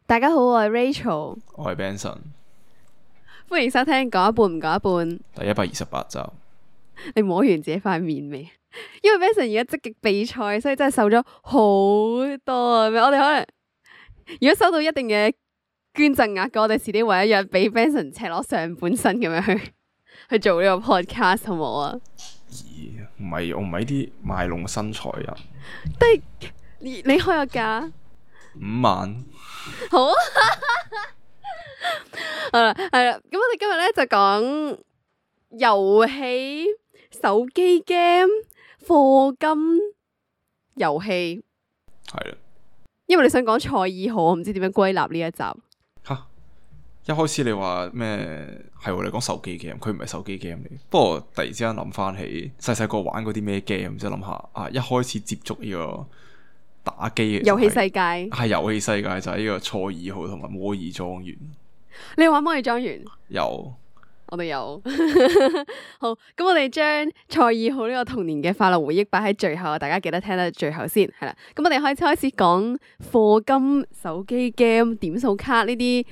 大家好，我係 Rachel，我係 Benson，歡迎收聽講一半唔講一半。第128集。你摸完自己塊面未？因為 Benson 而家積極比賽，所以真係瘦咗好多啊！我哋可能如果收到一定嘅捐贈額嘅，我哋遲啲為一日俾 Benson 赤裸上半身咁樣去做呢個 podcast 好唔好啊？唔係，我唔係啲賣弄身材人。但係你開個價5萬。好啊！好啦，係啦，咁我哋今日咧就講遊戲、手機 game、課金遊戲。係啦。因為你想講賽爾號，我唔知點樣歸納呢一集。吓，一開始你話咩係喎？你講手機 game，佢唔係手機 game 嚟。不過突然之間諗翻起細細個玩嗰啲咩 game，即係諗下啊，一開始接觸呢個打機嘅遊戲世界係遊戲世界就係呢個賽爾號同埋摩爾莊園。你有玩摩爾莊園？有。我哋有。好，咁我哋將賽爾號呢個童年嘅快樂回憶擺喺最後，大家記得聽到最後先係啦。咁我哋開始講課金、手機 game、點數卡呢啲。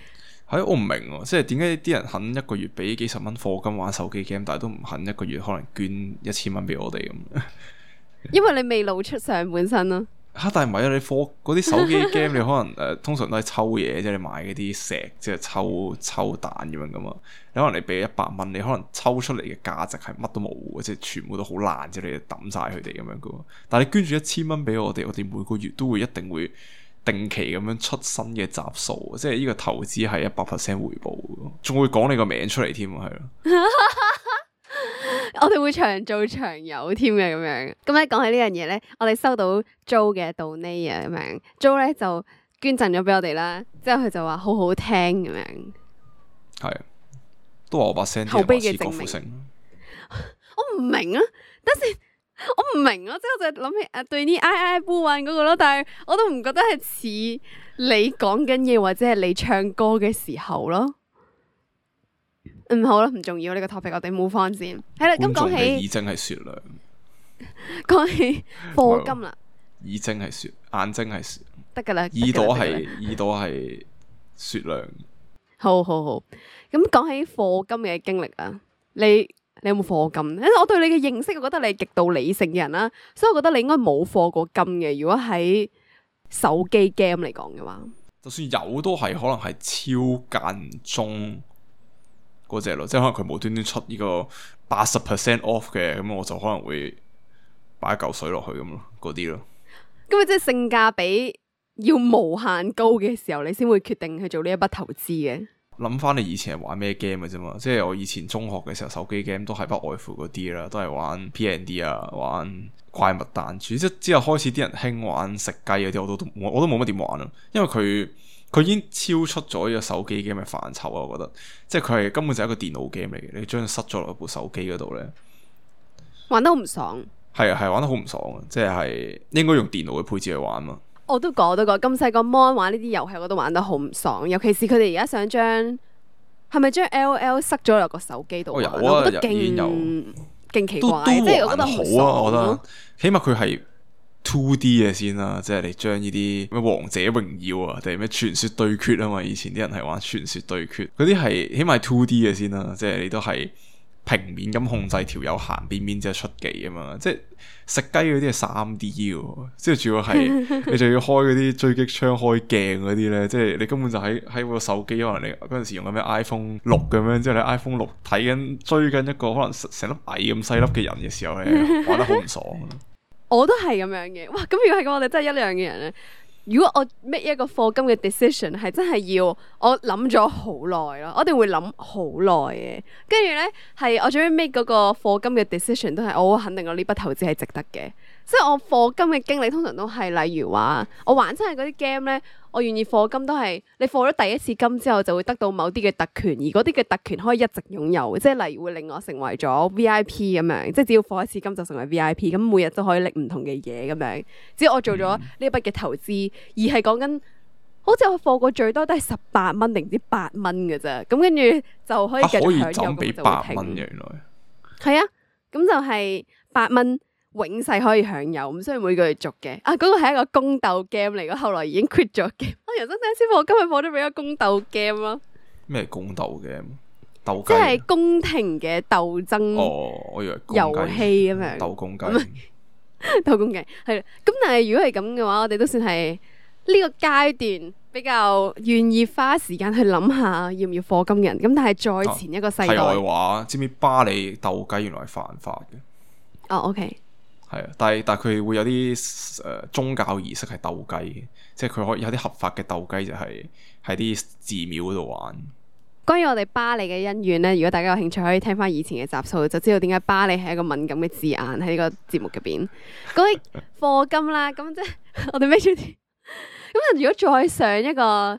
係我唔明喎，即係點解啲人肯一個月俾幾十蚊課金玩手機 game，但係都唔肯一個月可能捐1000蚊俾我哋咁。因為你未露出上半身咯。但係唔係啊！你課嗰啲手機 game，你可能通常都係抽嘢，即係你買嗰啲石，即係抽蛋咁樣噶嘛。你可能你俾100蚊，你可能抽出嚟嘅價值係乜都冇嘅，即係全部都好爛，即係你抌晒佢哋咁樣噶。但係你捐住1000蚊俾我哋每個月都會一定會定期咁樣出新嘅集數，即係呢個投資係100% 回報，仲會講你個名出嚟添啊，係咯。我哋會長做長有添嘅咁樣。咁咧講起呢樣嘢咧，我哋收到 Jo 嘅 donate 啊咁樣，Jo 咧就捐贈咗俾我哋啦。之後佢就話好好聽咁樣，係都話我把聲口碑嘅證明。郭富城。我唔明啊，但是我唔明啊，即係我就諗起對呢哀哀不穩嗰個咯，但係我都唔覺得係似你講緊嘢或者係你唱歌嘅時候咯。好啦，唔重要呢個 topic，我哋move on先。係啦，咁講起耳睛係雪亮，講起課金啦，耳睛係雪，眼睛係雪，得噶啦，耳朵係雪亮。好。咁講起課金嘅經歷啊，你有冇課金？因為我對你嘅認識，我覺得你係極度理性嘅人啦，所以我覺得你應該冇課過金嘅。如果喺手機 game 嚟講嘅話，就算有都係可能係超間中嗰隻咯，即係可能佢無端端出呢個80% off 嘅，咁我就可能會擺一嚿水落去咁咯，嗰啲咯。咁即係性價比要無限高嘅時候，你先會決定去做呢一筆投資嘅。諗翻你以前係玩咩 game 嘅啫嘛，即係我以前中學嘅時候手機 game 都係不外乎嗰啲啦，都係玩 P&D 啊，玩怪物彈珠，即之後開始啲人興玩食雞嗰啲，我都冇乜點玩啊，因為佢已經超出咗呢個手機 game 嘅範疇啊，我覺得，即係佢係根本就係一個電腦 game 嚟嘅，你將佢塞咗落部手機嗰度咧，玩得好唔爽。係玩得好唔爽啊，即係應該用電腦嘅配置去玩嘛。我都講咁細個 mon 玩呢啲遊戲，我都玩得好唔爽。尤其是佢哋而家想係咪將 LOL 塞咗落個手機度？有啊，我覺得勁奇怪，即係我覺得好啊。我覺得起碼佢係 2D 嘅先啦，即係你將呢啲咩王者榮耀啊，定係咩傳說對決啊嘛，以前啲人係玩傳說對決，嗰啲係起碼係 2D 嘅先啦，即係你都係平面咁控制條友行邊邊之後出技啊嘛，即係食雞嗰啲係 3D 嘅，即係主要係你就要開嗰啲狙擊槍開鏡嗰啲咧，即係你根本就喺個手機，可能你嗰陣時用緊咩 iPhone 6咁樣，即係你 iPhone 6追緊一個可能成粒蟻咁細粒嘅人嘅時候咧，玩得好唔爽。我都係咁樣嘅，哇！咁如果係咁，我哋真係一樣嘅人咧。如果我 make 一個課金嘅 decision 係真係要我諗咗好耐咯，我一定會諗好耐嘅。跟住咧係我最尾 make 嗰個課金嘅 decision 都係我好肯定我呢筆投資係值得嘅。所以我課金嘅經歷通常都係例如話我玩親係嗰啲 game 咧，我願意課金都係你課咗第一次金之後就會得到某啲嘅特權，而嗰啲嘅特權可以一直擁有，即係例如會令我成為咗 VIP 咁樣，即係只要課一次金就成為 VIP，咁每日都可以拎唔同嘅嘢咁樣。只要我做咗呢一筆嘅投資，而係講緊好似我課過最多都係18蚊定唔知8蚊嘅啫，咁跟住就可以繼續享有，咁就會停。8蚊原來係啊，咁就係8蚊。永世可以享有，唔需要每個月續嘅。嗰個係一個宮鬥 game 嚟嘅，後來已經 quit 咗 game。我人生第一次課金係課咗俾個宮鬥 game 咯。咩宮鬥嘅鬥雞？即係宮廷嘅鬥爭。哦，我以為遊戲咁樣。鬥公雞。鬥公雞係啦。咁但係如果係咁嘅話，我哋都算係呢個階段比較願意花時間去諗下要唔要課金嘅人。咁但係再前一個世代。題外話，知唔知巴里鬥雞原來係犯法嘅？OK。係啊，但係佢會有啲宗教儀式係鬥雞嘅，即係佢可以有啲合法嘅鬥雞，就係喺啲寺廟嗰度玩。關於我哋巴里嘅恩怨呢，如果大家有興趣，可以聽翻以前嘅集數，就知道點解巴里係一個敏感嘅字眼喺呢個節目入邊。嗰啲課金啦，咁即係我哋孭住啲。咁如果再上一個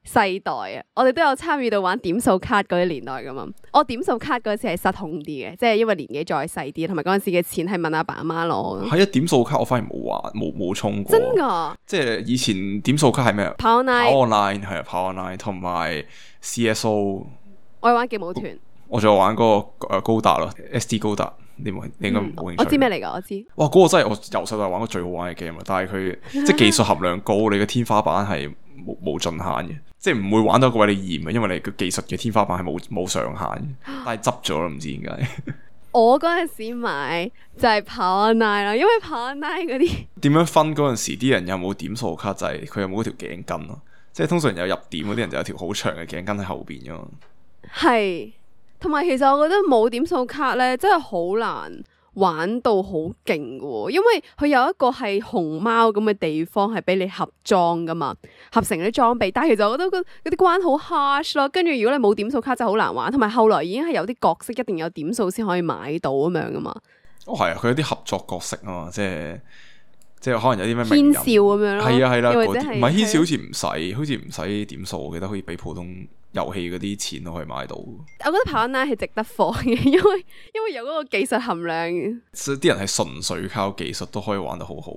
世代啊，我哋都有參與到玩點數卡嗰啲年代噶嘛。我點數卡嗰次係失控啲嘅，即係因為年紀再細啲，同埋嗰陣時嘅錢係問阿爸阿媽攞。係啊，點數卡我反而冇玩，冇充過。真噶？即係以前點數卡係咩？跑 online 係啊，跑 online 同埋 CSO。我玩勁舞團。我仲有玩嗰個高達咯 ，SD 高達。你應該冇興趣。我知咩嚟噶？我知。哇，嗰個真係我由細到大玩過最好玩嘅 game 啊！但係佢即係技術含量高，你嘅天花板係冇盡限嘅。即係唔會玩到個位你嫌嘅，因為你個技術嘅天花板係冇上限，但係執咗咯，唔知點解。我嗰陣時買就係跑 online 啦，因為跑 online 嗰啲點樣分嗰陣時，啲人有冇點數卡就係佢有冇嗰條頸巾咯。即係通常有入點嗰啲人就有條好長嘅頸巾喺後邊噶嘛。係，同埋其實我覺得冇點數卡咧，真係好難玩到好勁嘅，因為佢有一個係熊貓咁嘅地方係俾你合裝噶嘛，合成啲裝備。但係其實我覺得嗰啲關好 harsh 咯。跟住如果你冇點數卡真係好難玩，同埋後來已經係有啲角色一定有點數先可以買到咁樣噶嘛。哦，係啊，佢有啲合作角色啊嘛，即係可能有啲咩軒少咁樣咯。係啊係啦，或者唔係軒少好似唔使點數，我記得可以俾普通遊戲嗰啲錢都可以買到。我覺得跑 online 係值得放嘅，因為有嗰個技術含量。所以啲人係純粹靠技術都可以玩得好好。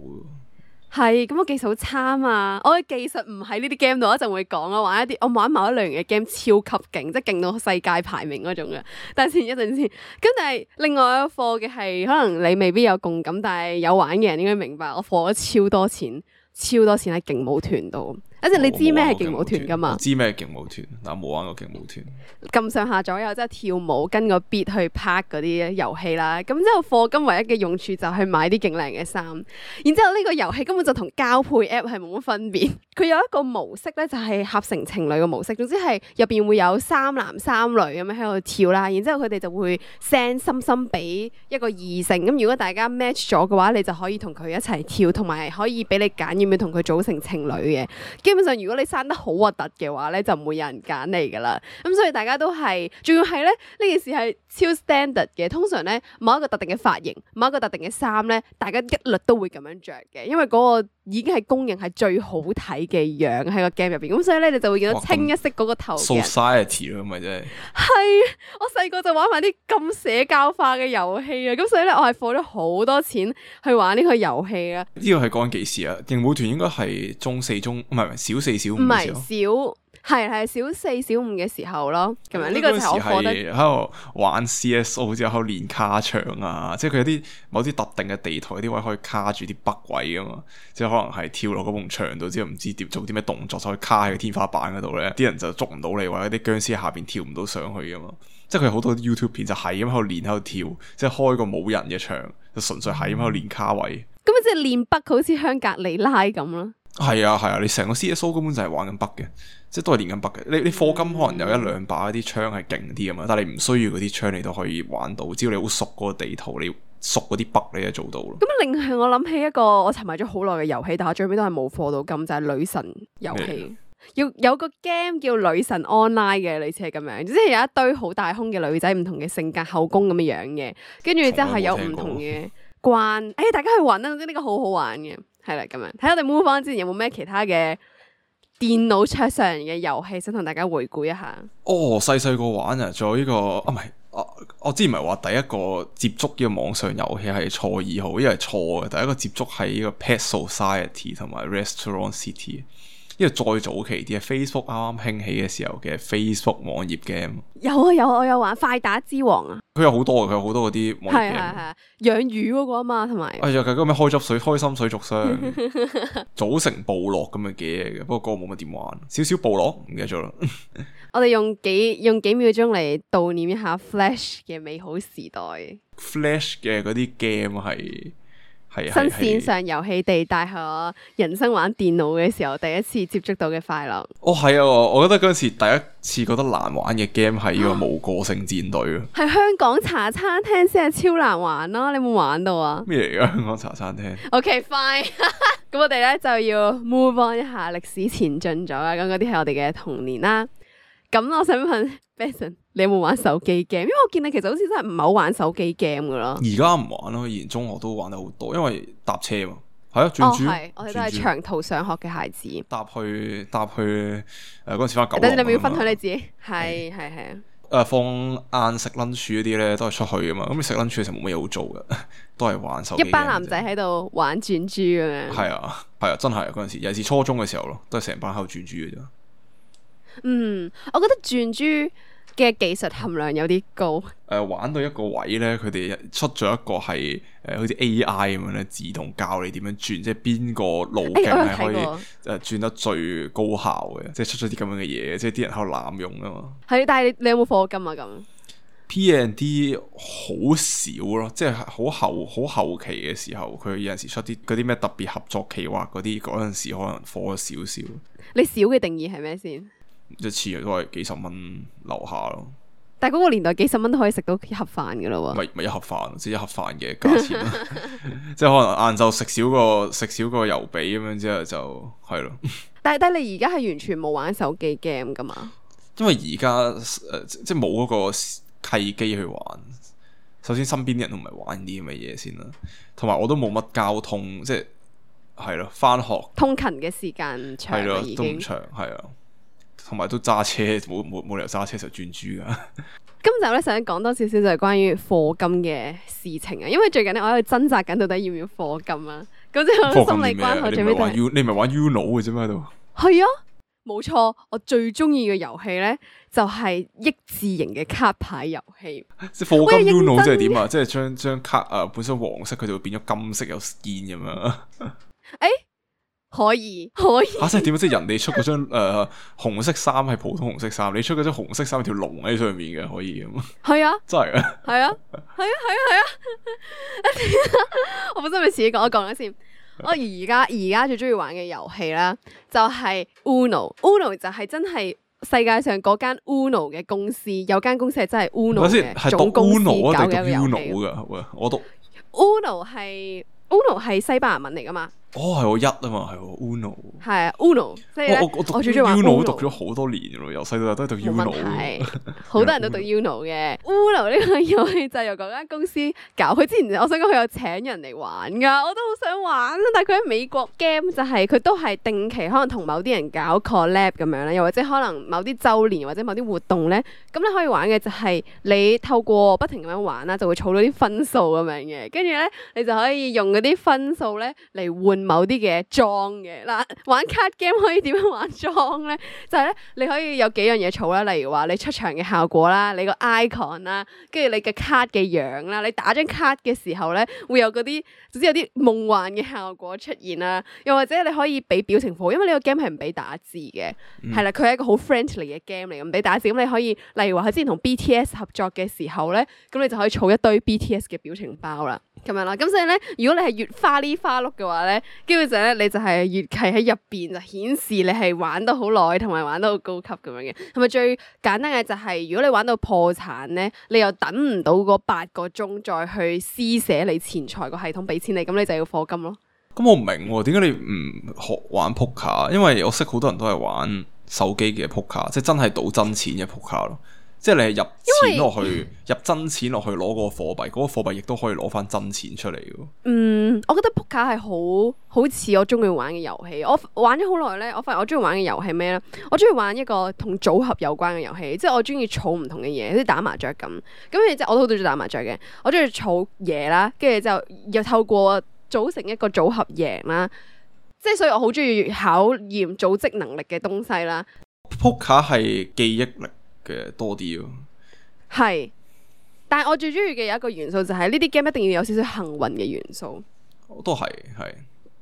係，咁我技術好差嘛，我嘅技術唔喺呢啲 game 度，一陣會講咯。我玩某一類型嘅 game 超級勁，即係勁到世界排名嗰種嘅。但係一陣先，咁但係另外一個課嘅係，可能你未必有共感，但係有玩嘅人應該明白，我課咗超多錢喺勁舞團度。一陣你知咩係勁舞團噶嘛？知咩勁舞團，但冇玩過勁舞團。咁上下左右即係跳舞，跟個 beat 去拍嗰啲遊戲啦。咁之後課金唯一嘅用處就係買啲勁靚嘅衫。然之後呢個遊戲根本就同交配 app 係冇乜分別。佢有一個模式咧，就係合成情侶嘅模式。總之係入邊會有三男三女咁樣喺度跳啦。然之後佢哋就會 send 心心俾一個異性。咁如果大家 match 咗嘅話，你就可以同佢一齊跳，同埋可以俾你揀要唔要同佢組成情侶嘅。基本上如果你生得好核突嘅話咧，就唔會有人揀你噶啦。咁所以大家都係，仲要係咧呢件事係超 standard 嘅。通常咧某一個特定嘅髮型，某一個特定嘅衫咧，大家一律都會咁樣着嘅，因為嗰個已經係公認係最好睇嘅樣喺個 game 入邊。咁所以咧你就會見到清一色嗰個頭嘅 society 咯，咪真係。係，我細個就玩埋啲咁社交化嘅遊戲啊。咁所以咧我係課咗好多錢去玩呢個遊戲啊。呢個係講緊幾時啊？勁舞團應該係中四唔係小四小五嘅時候。唔係小四小五嘅時候咯，咁樣呢個就係我課得喺度玩 CSO 之後喺度練卡牆啊，即係佢有啲某啲特定嘅地台啲位可以卡住啲北位噶嘛，即係可能係跳落嗰埲牆度之後唔知點做啲咩動作就可以卡喺個天花板嗰度咧，啲人就捉唔到你，或者啲僵屍喺下邊跳唔到上去噶嘛，即係佢好多 YouTube 片就係咁喺度練喺度跳，即係開個冇人嘅牆就純粹係咁喺度練卡位。咁即係練北好似香格里拉咁咯。係啊，你成個 CSO 根本就係玩緊北嘅，即係都係練緊北嘅。你課金可能有一兩把啲槍係勁啲啊嘛，但係你唔需要嗰啲槍你都可以玩到，只要你好熟嗰個地圖，你熟嗰啲北你就做到咯。咁另外我諗起一個我沉迷咗好耐嘅遊戲，但係最尾都係冇課到金，就係女神遊戲。要有個 game 叫女神 online 嘅，類似係咁樣，即係有一堆好大胸嘅女仔，唔同嘅性格、後宮咁嘅樣嘅，跟住之後係有唔同嘅關。大家去玩啦，呢個好好玩嘅。係啦，咁樣睇我哋 move on 之前有冇咩其他嘅電腦桌上嘅遊戲想同大家回顧一下？細個玩啊，仲有呢個唔係，我之前唔係話第一個接觸呢個網上遊戲係錯二號，因為係錯嘅。第一個接觸係呢個 Pet Society 同埋 Restaurant City。因為再早期啲 Facebook 啱啱興起嘅時候嘅 Facebook 網頁 game，有我有玩快打之王啊，佢有好多嗰啲網頁係 game。養魚嗰個啊嘛，同埋哎呀，佢嗰咩開心水族箱，組成部落咁嘅嘢嘅，不過嗰個冇乜點玩，少少部落唔記得咗啦。我哋用幾秒鐘嚟悼念一下 Flash 嘅美好時代。Flash 嘅嗰啲 game 係新線上遊戲地帶係我人生玩電腦嘅時候第一次接觸到嘅快樂。哦，係啊，我覺得嗰陣時第一次覺得難玩嘅 game 係呢個無個性戰隊啊。係香港茶餐廳先係超難玩咯，你有冇玩到啊？咩嚟噶香港茶餐廳 OK fine，咁我哋咧就要 move on 一下，歷史前進咗啦。咁嗰啲係我哋嘅童年啦。咁我想問 Benson， 你有冇玩手機 game？因為我見你其實好似真係唔係好玩手機 game 噶咯。而家唔玩咯，以前中學都玩得好多，因為搭車嘛。係啊，轉珠。係，我哋都係長途上學嘅孩子。搭去嗰陣時翻九龍。等你咪要分享你自己。係啊。放晏食 lunch 嗰啲咧，都係出去噶嘛。咁你食 lunch 嘅時候冇乜嘢好做嘅，都係玩手機。一班男仔喺度玩轉珠咁樣。係啊，真係嗰陣時，尤其是初中嘅時候咯，都係成班喺度轉珠嘅啫。我覺得轉珠嘅技術含量有啲高。玩到一個位咧，佢哋出咗一個係好似 AI 咁樣咧，自動教你點樣轉，即係邊個路徑係可以轉得最高效嘅，即係出咗啲咁樣嘅嘢，即係啲人喺度濫用啊嘛。係，但係你有冇課金啊？咁 P&D 好少咯，即係好後期嘅時候，佢有陣時出啲嗰啲咩特別合作企劃嗰啲，嗰陣時可能課咗少少。你少嘅定義係咩先？一次都係幾十蚊樓下咯。但係嗰個年代幾十蚊都可以食到一盒飯噶啦喎。咪一盒飯，即係一盒飯嘅價錢咯。即係可能晏晝食少個油髀咁樣之後就係咯。但係你而家係完全冇玩手機 game 噶嘛？因為而家即係冇嗰個契機去玩。首先身邊啲人都唔係玩啲咁嘅嘢先啦，同埋我都冇乜交通，即係咯，翻學通勤嘅時間長係咯，已經都唔長係啊。同埋都揸車，冇理由揸車就轉珠噶。今集咧想講多少少就係關於課金嘅事情啊，因為最近咧我喺度掙扎緊到底要唔要課金啊。咁即係我心理關口最尾都係你唔係玩 Uno 嘅啫咩喺度？係啊，冇錯，我最中意嘅遊戲咧就係益智型嘅卡牌遊戲。即係課金 Uno 即係點啊？即係將卡本身黃色佢就會變咗金色有 skin 咁樣。可以即係點啊？即係人哋出嗰張紅色衫係普通紅色衫，你出嗰張紅色衫有條龍喺上面嘅，可以咁。係啊，真係啊，係啊。我本身咪自己講一講啦先。我而家最中意玩嘅遊戲啦，就係 Uno 就係真係世界上嗰間 Uno 嘅公司，有間公司係真係 Uno 嘅總公司搞嘅一個遊戲。我讀 Uno 係西班牙文嚟噶嘛？係我一啊嘛，係我 Uno。係啊 Uno，即係我最中意玩 Uno 讀咗好多年咯，由細到大都係讀 Uno。好多人都讀 Uno 嘅。Uno 呢個遊戲就係由嗰間公司搞。佢之前我想講佢有請人嚟玩噶，我都好想玩。但係佢喺美國 game 就係佢都係定期可能同某啲人搞 collab 咁樣咧，又或者可能某啲週年或者某啲活動咧，咁你可以玩嘅就係你透過不停咁樣玩啦，就會儲到啲分數咁樣嘅，跟住咧你就可以用嗰啲分數咧嚟換某啲嘅裝嘅。嗱，玩 card game 可以點樣玩裝咧？就係咧，你可以有幾樣嘢儲啦，例如話你出場嘅效果啦，你個 icon 啦，跟住你嘅 card 嘅樣啦，你打張 card 嘅時候咧，會有嗰啲，總之有啲夢幻嘅效果出現啦。又或者你可以俾表情符，因為呢個 game 係唔俾打字嘅，係啦，佢係一個好 friendly 嘅 game 嚟，唔俾打字。咁你可以，例如話佢之前同 BTS 合作嘅時候咧，咁你就可以儲一堆 BTS 嘅表情包啦。咁樣啦，咁所以咧，如果你係越花哩花碌嘅話咧，基本上咧你就係越係喺入邊就顯示你係玩得好耐，同埋玩得好高級咁樣嘅。係咪最簡單嘅就係，如果你玩到破產咧，你又等唔到嗰8個鐘再去施捨你錢財個系統俾錢你，咁你就要課金咯。咁我唔明點解你唔學玩撲克？因為我識好多人都係玩手機嘅撲克，即係真係賭真錢嘅撲克咯。即係你係入錢落去，入真錢落去攞個貨幣，嗰個貨幣亦都可以攞翻真錢出嚟嘅。我覺得撲克係好似我中意玩嘅遊戲。我玩咗好耐咧，我發現我中意玩嘅遊戲咩咧？我中意玩一個同組合有關嘅遊戲，即係我中意儲唔同嘅嘢，好似打麻雀咁。咁然之後我都好中意打麻雀嘅，我中意儲嘢啦，跟住之後又透過組成一個組合贏啦。即係所以我好中意考驗組織能力嘅東西啦。撲克係記憶力嘅多啲咯，係，但係我最中意嘅有一個元素就係呢啲 game 一定要有少少幸運嘅元素。都係。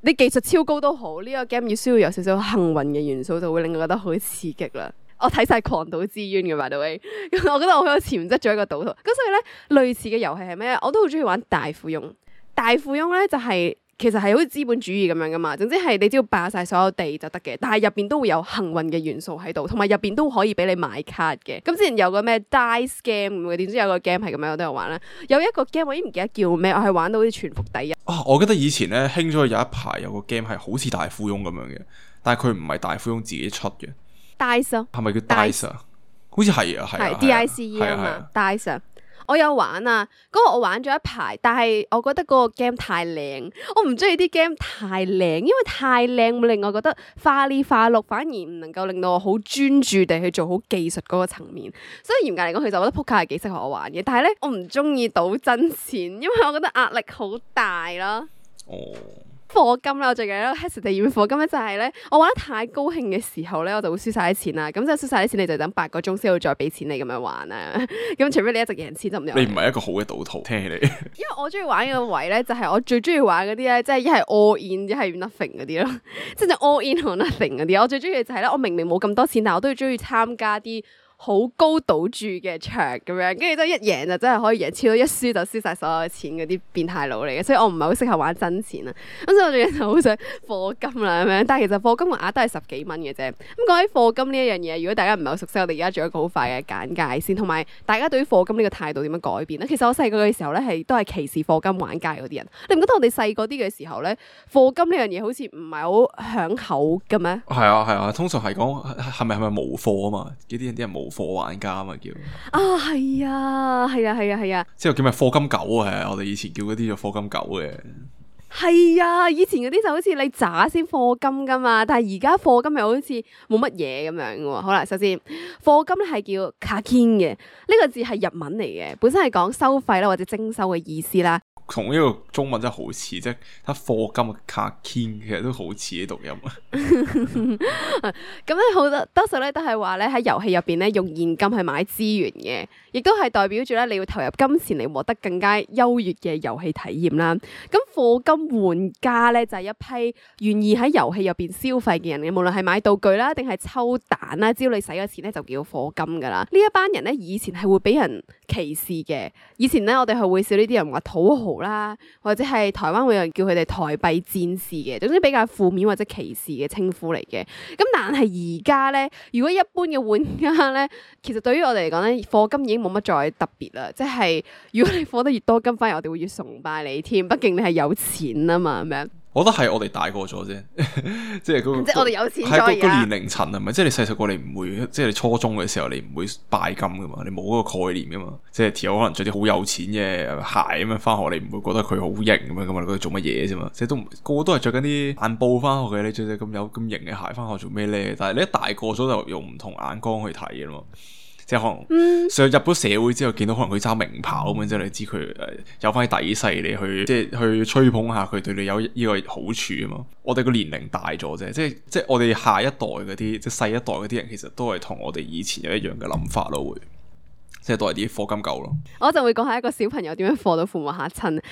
你技術超高都好，呢個 game 要需要有少少幸運嘅元素，就會令我覺得好刺激啦。我睇晒《狂賭之淵》嘅by the way，咁我覺得我好有潛質做一個賭徒。咁所以咧，類似嘅遊戲係咩？我都好中意玩大富翁。大富翁咧就係其實係好似資本主義咁樣噶嘛。總之係你只要霸晒所有地就得嘅，但係入邊都會有幸運嘅元素喺度，同埋入邊都可以俾你買卡嘅。咁之前有個咩 Dice Game 咁嘅，點知有個 game 係咁樣我都有玩啦。有一個 game 我已經唔記得叫咩，我係玩到好似全服第一。我記得以前咧興咗有一排有個 game 係好似大富翁咁樣嘅，但係佢唔係大富翁自己出嘅。Dice 咯，係咪叫 Dice 啊？好似係啊，係 DICE 啊嘛，Dice 啊。我有玩啊，嗰個我玩咗一排，但係我覺得嗰個 game 太靚，我唔中意啲 game 太靚，因為太靚會令我覺得花里花碌，反而唔能夠令到我好專注地去做好技術嗰個層面。所以嚴格嚟講，其實我覺得撲克係幾適合我玩嘅，但係咧我唔中意賭真錢，因為我覺得壓力好大咯。哦。課金啦，我最近喺度 hesitate 要課金咧，就係咧，我玩得太高興嘅時候咧，我就會輸晒啲錢啦。咁就輸晒啲錢，你就等8個鐘先會再俾錢你咁樣玩啊。咁除非你一直贏錢就唔。你唔係一個好嘅賭徒，聽起嚟。因為我中意玩嘅位咧，就係我最中意玩嗰啲咧，即係一係 all in，一係 nothing 嗰啲咯，即係 all in 同 nothing 嗰啲。我最中意嘅就係咧，我明明冇咁多錢，但我都要中意參加啲好高賭注嘅場咁樣，跟住都一贏就真係可以贏超多，一輸就輸晒所有嘅錢嗰啲變態佬嚟嘅，所以我唔係好適合玩真錢啊。咁所以我最近就好想課金啦咁樣，但係其實課金個額都係10幾蚊嘅啫。咁講起課金呢一樣嘢，如果大家唔係好熟悉，我哋而家做一個好快嘅簡介先，同埋大家對於課金呢個態度點樣改變咧？其實我細個嘅時候咧都係歧視課金玩家嗰啲人。你唔覺得我哋細個啲嘅時候咧，課金呢樣嘢好似唔係好響口嘅咩？係啊，通常係講係咪無課啊嘛？啲人無課玩家啊嘛叫啊，係啊，之後叫咩課金狗啊？我哋以前叫嗰啲叫課金狗嘅。係啊，以前嗰啲就好似你渣先課金噶嘛，但係而家課金又好似冇乜嘢咁樣喎。好啦，首先課金咧係叫卡金嘅，呢個字係日文嚟嘅，本身係講收費啦或者徵收嘅意思啦。同呢個中文真係好似，即係睇課金嘅卡金，其實都好似啲讀音啊。咁咧好多數咧都係話咧喺遊戲入邊咧用現金去買資源嘅，亦都係代表住咧你要投入金錢嚟獲得更加優越嘅遊戲體驗啦。咁課金玩家咧就係一批願意喺遊戲入邊消費嘅人嘅，無論係買道具啦定係抽蛋啦，只要你使咗錢咧就叫課金噶啦。呢一班人咧以前係會俾人歧視嘅，以前咧我哋係會笑呢啲人話土豪啦，或者係台灣會有人叫佢哋台幣戰士嘅，總之比較負面或者歧視嘅稱呼嚟嘅。咁但係而家咧，如果一般嘅玩家咧，其實對於我哋嚟講咧，課金已經冇乜再特別啦。即係如果你課得越多金，反而我哋會越崇拜你添。畢竟你係有錢啊嘛，咁樣。我覺得係我哋大個咗啫，即係嗰即係我哋有錢咗係而家。個年齡層係咪？即係你細細個你唔會，即係你初中嘅時候你唔會拜金噶嘛，你冇嗰個概念噶嘛。即係條友可能着啲好有錢嘅鞋咁樣翻學，你唔會覺得佢好型咁樣噶嘛？你覺得做乜嘢啫嘛？即係個個都係着緊啲爛布翻學嘅，你着隻咁有咁型嘅鞋翻學做咩咧？但係你一大個咗就用唔同眼光去睇噶嘛。即係可能上入咗社會之後，見到可能佢揸名跑咁樣，即係你知佢有翻啲底細，你去即係去吹捧下佢，對你有呢個好處啊嘛。我哋個年齡大咗啫，即係我哋下一代嗰啲，即係細一代嗰啲人，其實都係同我哋以前有一樣嘅諗法咯，會。即係都係啲課金狗咯，我就會講下一個小朋友點樣課到父母嚇親。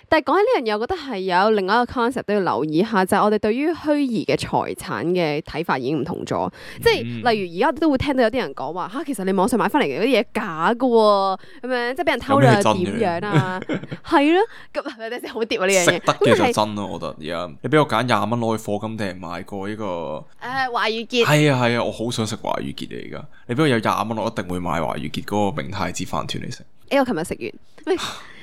但係講起呢樣嘢，我覺得係有另外一個 concept 都要留意下，就係我哋對於虛擬嘅財產嘅睇法已經唔同咗。即係例如而家都會聽到有啲人講話嚇，其實你網上買翻嚟嘅嗰啲嘢假㗎喎，咁樣即係俾人偷咗又點樣啊？係咯，咁你哋好跌啊呢樣嘢。食得嘅就真咯，我覺得而家你俾我揀20蚊攞去課金定係買過呢個華御結。係啊，我好想食華御結嚟而家。你俾我有20蚊，我一定會買華御結嗰個明太子飯團嚟食。我琴日食完，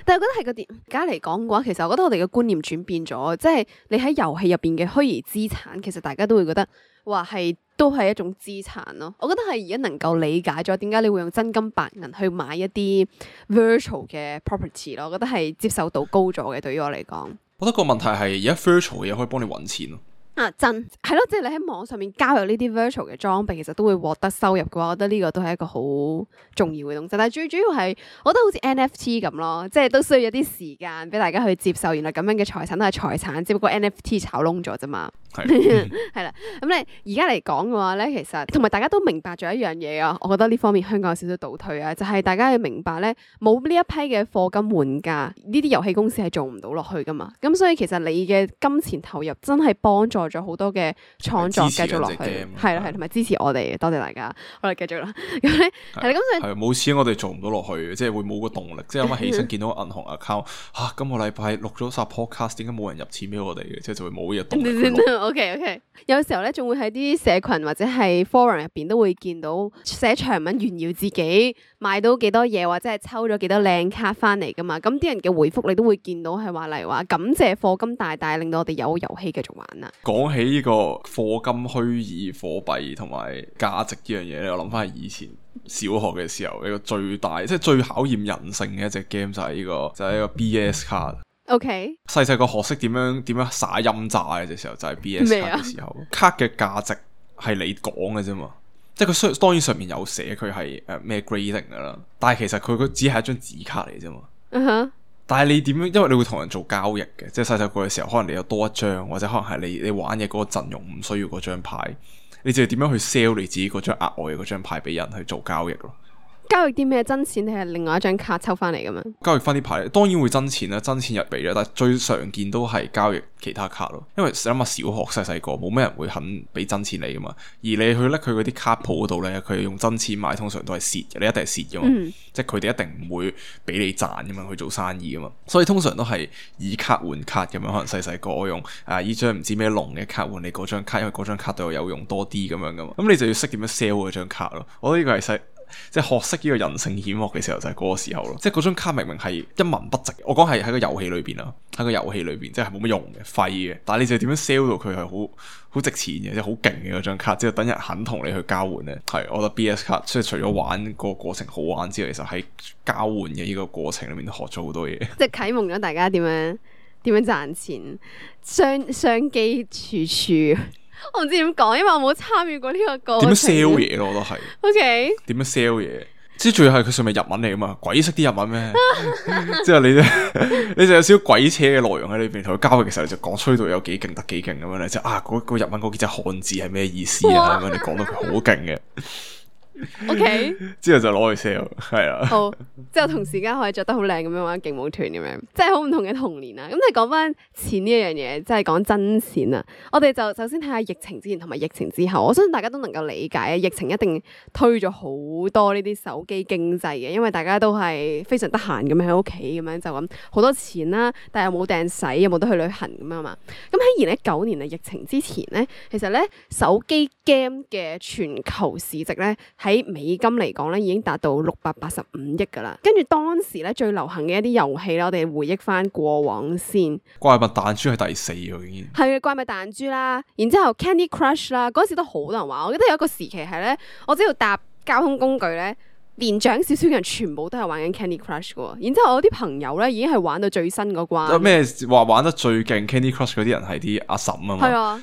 但係我覺得係個點而家嚟講嘅話，其實我覺得我哋嘅觀念轉變咗，即係你喺遊戲入邊嘅虛擬資產，其實大家都會覺得話都係一種資產咯。我覺得係而家能夠理解咗點解你會用真金白銀去買一啲 virtual 嘅 property 咯。我覺得係接受度高咗嘅，對於我嚟講。我覺得個問題係而家 virtual 嘅嘢可以幫你揾錢咯。真係咯，即係你喺網上面交易呢啲 virtual 嘅裝備，其實都會獲得收入嘅話，我覺得呢個都係一個好重要嘅東西。但係最主要係，我覺得好似 NFT 咁咯，即係都需要一啲時間俾大家去接受。原來咁樣嘅財產都係財產，只不過 NFT 炒窿咗啫嘛。係啦，咁你而家嚟講嘅話咧，其實同埋大家都明白咗一樣嘢啊，我覺得呢方面香港有少少倒退啊，就係大家要明白咧，冇呢一批嘅課金玩家，呢啲遊戲公司係做唔到落去噶嘛。咁所以其實你嘅金錢投入真係幫助咗好多嘅創作繼續落去，係啦係，同埋支持我哋，多謝大家。我哋繼續啦。咁咧係啦，咁所以係冇錢我哋做唔到落去，即係會冇個動力。即係有乜起身見到銀行 account 嚇，今個禮拜錄咗集 podcast，點解冇人入錢俾我哋嘅？即係就會冇呢個動力。OK，有時候咧仲會喺啲社群或者係 forum 入邊都會見到寫長文炫耀自己買到幾多嘢，或者係抽咗幾多靚卡翻嚟噶嘛。咁啲人嘅回覆你都會見到係話，例如話感謝課金大大令到我哋有遊戲繼續玩啊。講起呢個課金虛擬貨幣同埋價值呢樣嘢咧，我諗翻係以前小學嘅時候，一個最大即係最考驗人性嘅一隻 game 就係呢個 BS 卡。OK，細細個學識點樣耍陰詐嘅時候，就係 BS 卡嘅時候。卡嘅價值係你講嘅啫嘛，即係佢當然上面有寫佢係咩 grading 噶啦，但係其實佢只係一張紙卡嚟啫嘛。但係你點樣？因為你會同人做交易嘅，即係細細個嘅時候，可能你有多一張，或者可能係你玩嘅嗰個陣容唔需要嗰張牌，你就係點樣去 sell 你自己嗰張額外嘅嗰張牌俾人去做交易咯。交易啲咩？真錢定係另外一張卡抽翻嚟咁樣？交易翻啲牌，當然會真錢啦，真錢入嚟啦。但係最常見都係交易其他卡咯。因為諗下小學細個冇咩人會肯俾真錢你噶嘛。而你去拎佢嗰啲卡鋪嗰度咧，佢用真錢買，通常都係蝕嘅。你一定係蝕噶嘛。即係佢哋一定唔會俾你賺噶嘛，去做生意噶嘛。所以通常都係以卡換卡咁樣。可能細個我用依張唔知咩龍嘅卡換你嗰張卡，因為嗰張卡對我有用多啲咁樣噶嘛。咁你就要識點樣 sell 嗰張卡咯。我覺得呢個係即係學識呢個人性險惡嘅時候就係嗰個時候咯，即係嗰張卡明明係一文不值，我講係喺個遊戲裏邊啦，喺個遊戲裏邊即係冇乜用嘅廢嘅，但係你就點樣 sell 到佢係好值錢嘅，即係好勁嘅嗰張卡，即係等人肯同你去交換咧。係，我覺得 BS 卡即係除咗玩個過程好玩之外，其實喺交換嘅呢個過程裏面都學咗好多嘢，即係啟蒙咗大家點樣賺錢，商機處處。我唔知點講，因為我冇參與過呢個過程。點樣 sell 嘢咯？我都係。OK。點樣 sell 嘢？即係最係佢上面日文嚟噶嘛？鬼識啲日文咩？即係你就有少少鬼扯嘅內容喺裏邊，同佢交易嘅時候就講吹到有幾勁得幾勁咁樣咧，即係嗰日文嗰幾隻漢字係咩意思啊？咁樣你講到佢好勁嘅。OK，之後就攞去 sell， 係啊。好，之後同時間可以着得好靚咁樣玩勁舞團咁樣，即係好唔同嘅童年啊。咁你講翻錢呢一樣嘢，即係講真錢啊。我哋就首先睇下疫情之前同埋疫情之後，我相信大家都能夠理解啊。疫情一定推咗好多呢啲手機經濟嘅，因為大家都係非常得閒咁喺屋企咁樣就咁好多錢啦，但係又冇掟使，又冇得去旅行咁樣嘛。咁喺2019年啊，疫情之前咧，其實咧手機 game 嘅全球市值咧喺美金嚟講咧，已經達到685億噶啦。跟住當時咧最流行嘅一啲遊戲咧，我哋回憶翻過往先。怪物彈珠係第4喎，已經係啊，怪物彈珠啦，然之後 Candy Crush 啦，嗰時都好多人玩。我記得有一個時期係咧，我只要搭交通工具咧，年長少少嘅人全部都係玩緊 Candy Crush 嘅。然之後我啲朋友咧已經係玩到最新嗰關。咩話玩得最勁 Candy Crush 嗰啲人係啲阿嬸啊嘛？係啊，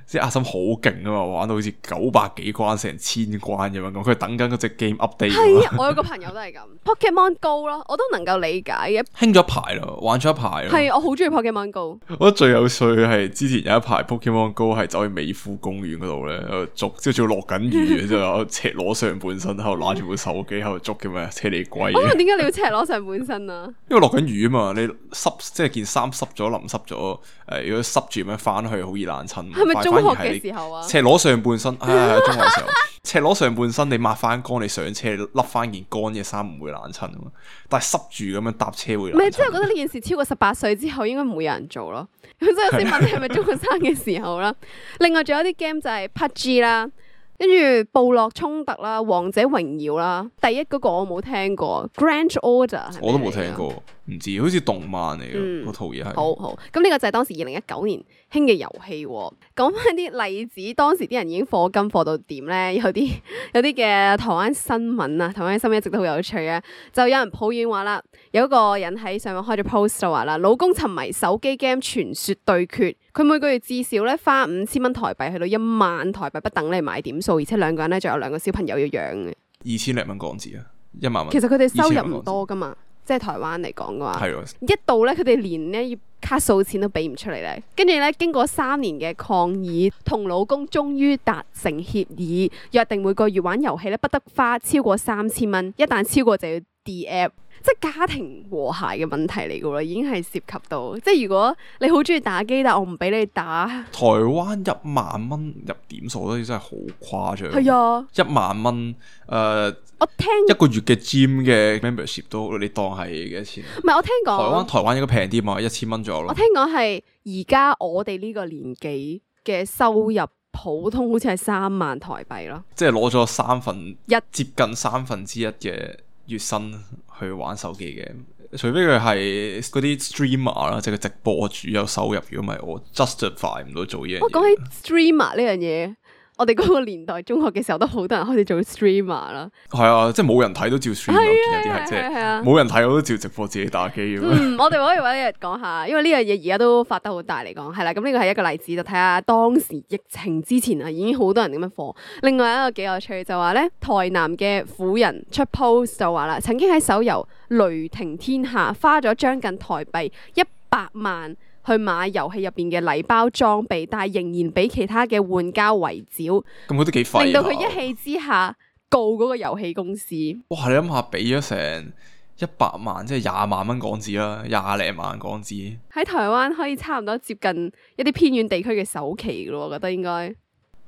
即係阿嬸好勁啊嘛，玩到好似900幾關成1000關咁樣咁，佢等緊嗰隻 game update。係啊，我有個朋友都係咁。Pokemon Go 咯，我都能夠理解嘅。興咗一排咯，玩咗一排咯。係，我好中意 Pokemon Go。我覺得最有趣係之前有一排 Pokemon Go 係走去美孚公園嗰度咧，喺度捉，即係仲要落緊雨，之後赤裸上半身喺度攞住部手機喺度捉嘅咩？車厘龜。點解你要赤裸上半身啊？因為落緊雨啊嘛，你濕即係件衫濕咗淋濕咗，如果濕住咁樣翻去好易爛親。係咪中學嘅時候啊？赤裸上半身，中學嘅時候，赤裸上半身你抹翻乾，你上車笠翻件乾嘅衫唔會爛親啊嘛。但係濕住咁樣搭車會爛親。唔係，即係覺得呢件事超過18歲之後應該唔會有人做咯。咁所以我先問你係咪中學生嘅時候啦？另外仲有啲 game 就係 PUBG 啦。跟住部落衝突啦，王者榮耀啦，第一嗰個我冇聽過 Grand Order 係咪？我都冇聽過，唔知好似動漫嚟嘅嗰套嘢係。好，咁呢個就係當時2019年興嘅遊戲。講翻啲例子，當時啲人已經課金課到點咧？有啲嘅台灣新聞啊，台灣新聞一直都好有趣啊。就有人抱怨話啦，有一個人喺上網開咗 post 就話啦，老公沉迷手機 game 傳說對決，佢每個月至少咧花5000蚊台幣去到1萬台幣不等嚟買點數，而且兩個人咧仲有2個小朋友要養嘅。2000零蚊港紙啊，1萬蚊。其實佢哋收入唔多噶嘛。即係台灣嚟講嘅話，係喎，一度咧佢哋連呢卡數錢都俾唔出嚟咧，跟住咧經過3年嘅抗議，同老公終於達成協議，約定每個月玩遊戲咧不得花超過3000蚊，一旦超過就要 DApp。即係家庭和諧嘅問題嚟㗎喎，已經係涉及到，即係如果你好中意打機，但我唔俾你打，台灣10000蚊入點數都真係好誇張。係啊， 10000蚊我聽一個月嘅 gym 嘅 membership 都你當係幾多錢啊？唔係我聽講，台灣應該平啲嘛，1000蚊左右咯。我聽講係而家我哋呢個年紀嘅收入普通好似係3萬台幣咯，即係攞咗接近1/3嘅月薪去玩手機嘅，除非佢係嗰啲 streamer 啦，即係個直播主有收入。如果唔係，我 justify 唔到做嘢。我講起 streamer 呢樣嘢，我哋嗰個年代中學嘅時候都好多人開始做 streamer 啦。係啊，即係冇人睇都照 stream，見有啲係即係冇人睇我都照直播自己打機咁樣。我哋可以揾一日講下，因為呢樣嘢而家都發得好大嚟講，係啦。咁呢個係一個例子，就睇下當時疫情之前啊，已經好多人咁樣課。另外一個幾有趣就話咧，台南嘅婦人出 post 就話啦，曾經喺手遊雷霆天下花咗將近台幣100萬。去買遊戲入邊嘅禮包裝備，但係仍然俾其他嘅玩家圍剿，咁佢都幾廢啊，令到佢一氣之下告嗰個遊戲公司。哇！你諗下，俾咗成100萬，即係20萬蚊港紙啦，20零萬港紙。喺台灣可以差唔多接近一啲偏遠地區嘅首期噶咯，我覺得應該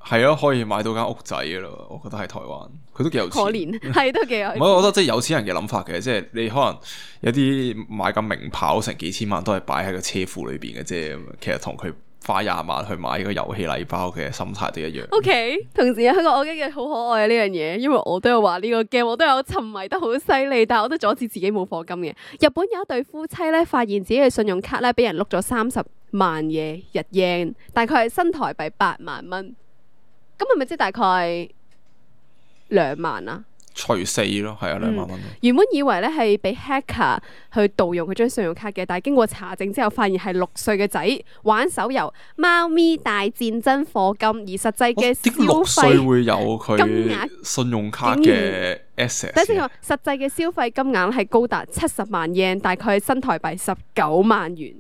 係咯，可以買到間屋仔噶咯。我覺得喺台灣，佢都幾有錢。可憐係都幾有錢。唔係，我覺得即係有錢人嘅諗法嘅，即係你可能有啲買緊名跑成幾千萬都係擺喺個車庫裏邊嘅啫。其實同佢花20萬去買個遊戲禮包嘅心態都一樣。OK， 同時有一個我覺得好可愛嘅呢樣嘢，因為我都有話呢個 game，我都有沉迷得好犀利，但係我都阻止自己冇課金嘅。日本有一對夫妻咧，發現自己嘅信用卡咧俾人碌咗30萬嘅日元，大概係新台幣8萬蚊。咁係咪即係大概2萬啊？除4咯，係啊，2萬蚊。原本以為咧係俾 hacker 去盜用佢張信用卡嘅，但係經過查證之後，發現係6歲嘅仔玩手遊《貓咪大戰爭》課金，而實際嘅消6歲費會有佢信用卡嘅 access。等陣先，實際嘅消費金額係高達70萬 yen， 大概係新台幣19萬元。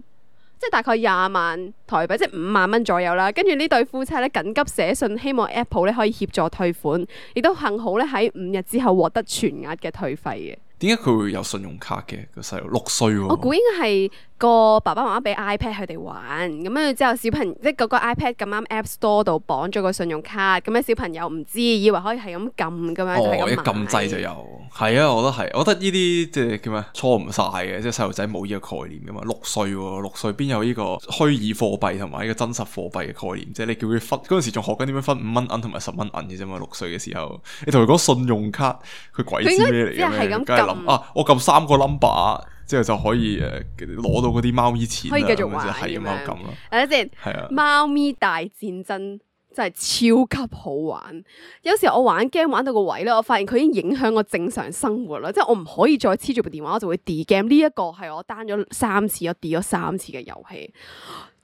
即係大概20萬台幣，即係5萬蚊左右啦。跟住呢對夫妻咧緊急寫信，希望 Apple 咧可以協助退款，亦都幸好咧喺5日之後獲得全額嘅退費嘅。點解佢會有信用卡嘅個細路？6歲喎。我估應該係個爸爸媽媽俾 iPad 佢哋玩，咁跟住之後小朋友即係嗰個 iPad 咁啱 App Store 度綁咗個信用卡，咁咧小朋友唔知，以為可以係咁撳咁樣，就係咁買。一撳掣就有，係啊，我覺得係，我覺得呢啲即係叫咩錯唔晒嘅，即係細路仔冇呢個概念噶嘛。6歲喎，6歲邊有呢個虛擬貨幣同埋呢個真實貨幣嘅概念？即係你叫佢分嗰陣時仲學緊點樣分5蚊銀同埋10蚊銀嘅啫嘛。6歲嘅時候，你同佢講信用卡，佢鬼知咩嚟嘅咩？梗係諗啊，我撳3個 number。之後就可以攞到嗰啲貓咪錢，可以繼續玩係咁樣咁咯。等陣先，係啊，貓咪大戰爭真係超級好玩。有時候我玩 game 玩到個位咧，我發現佢已經影響我正常生活啦。即係我唔可以再黐住部電話，我就會 delete game。呢一個係我 down 咗3次，我 delete 咗3次嘅遊戲。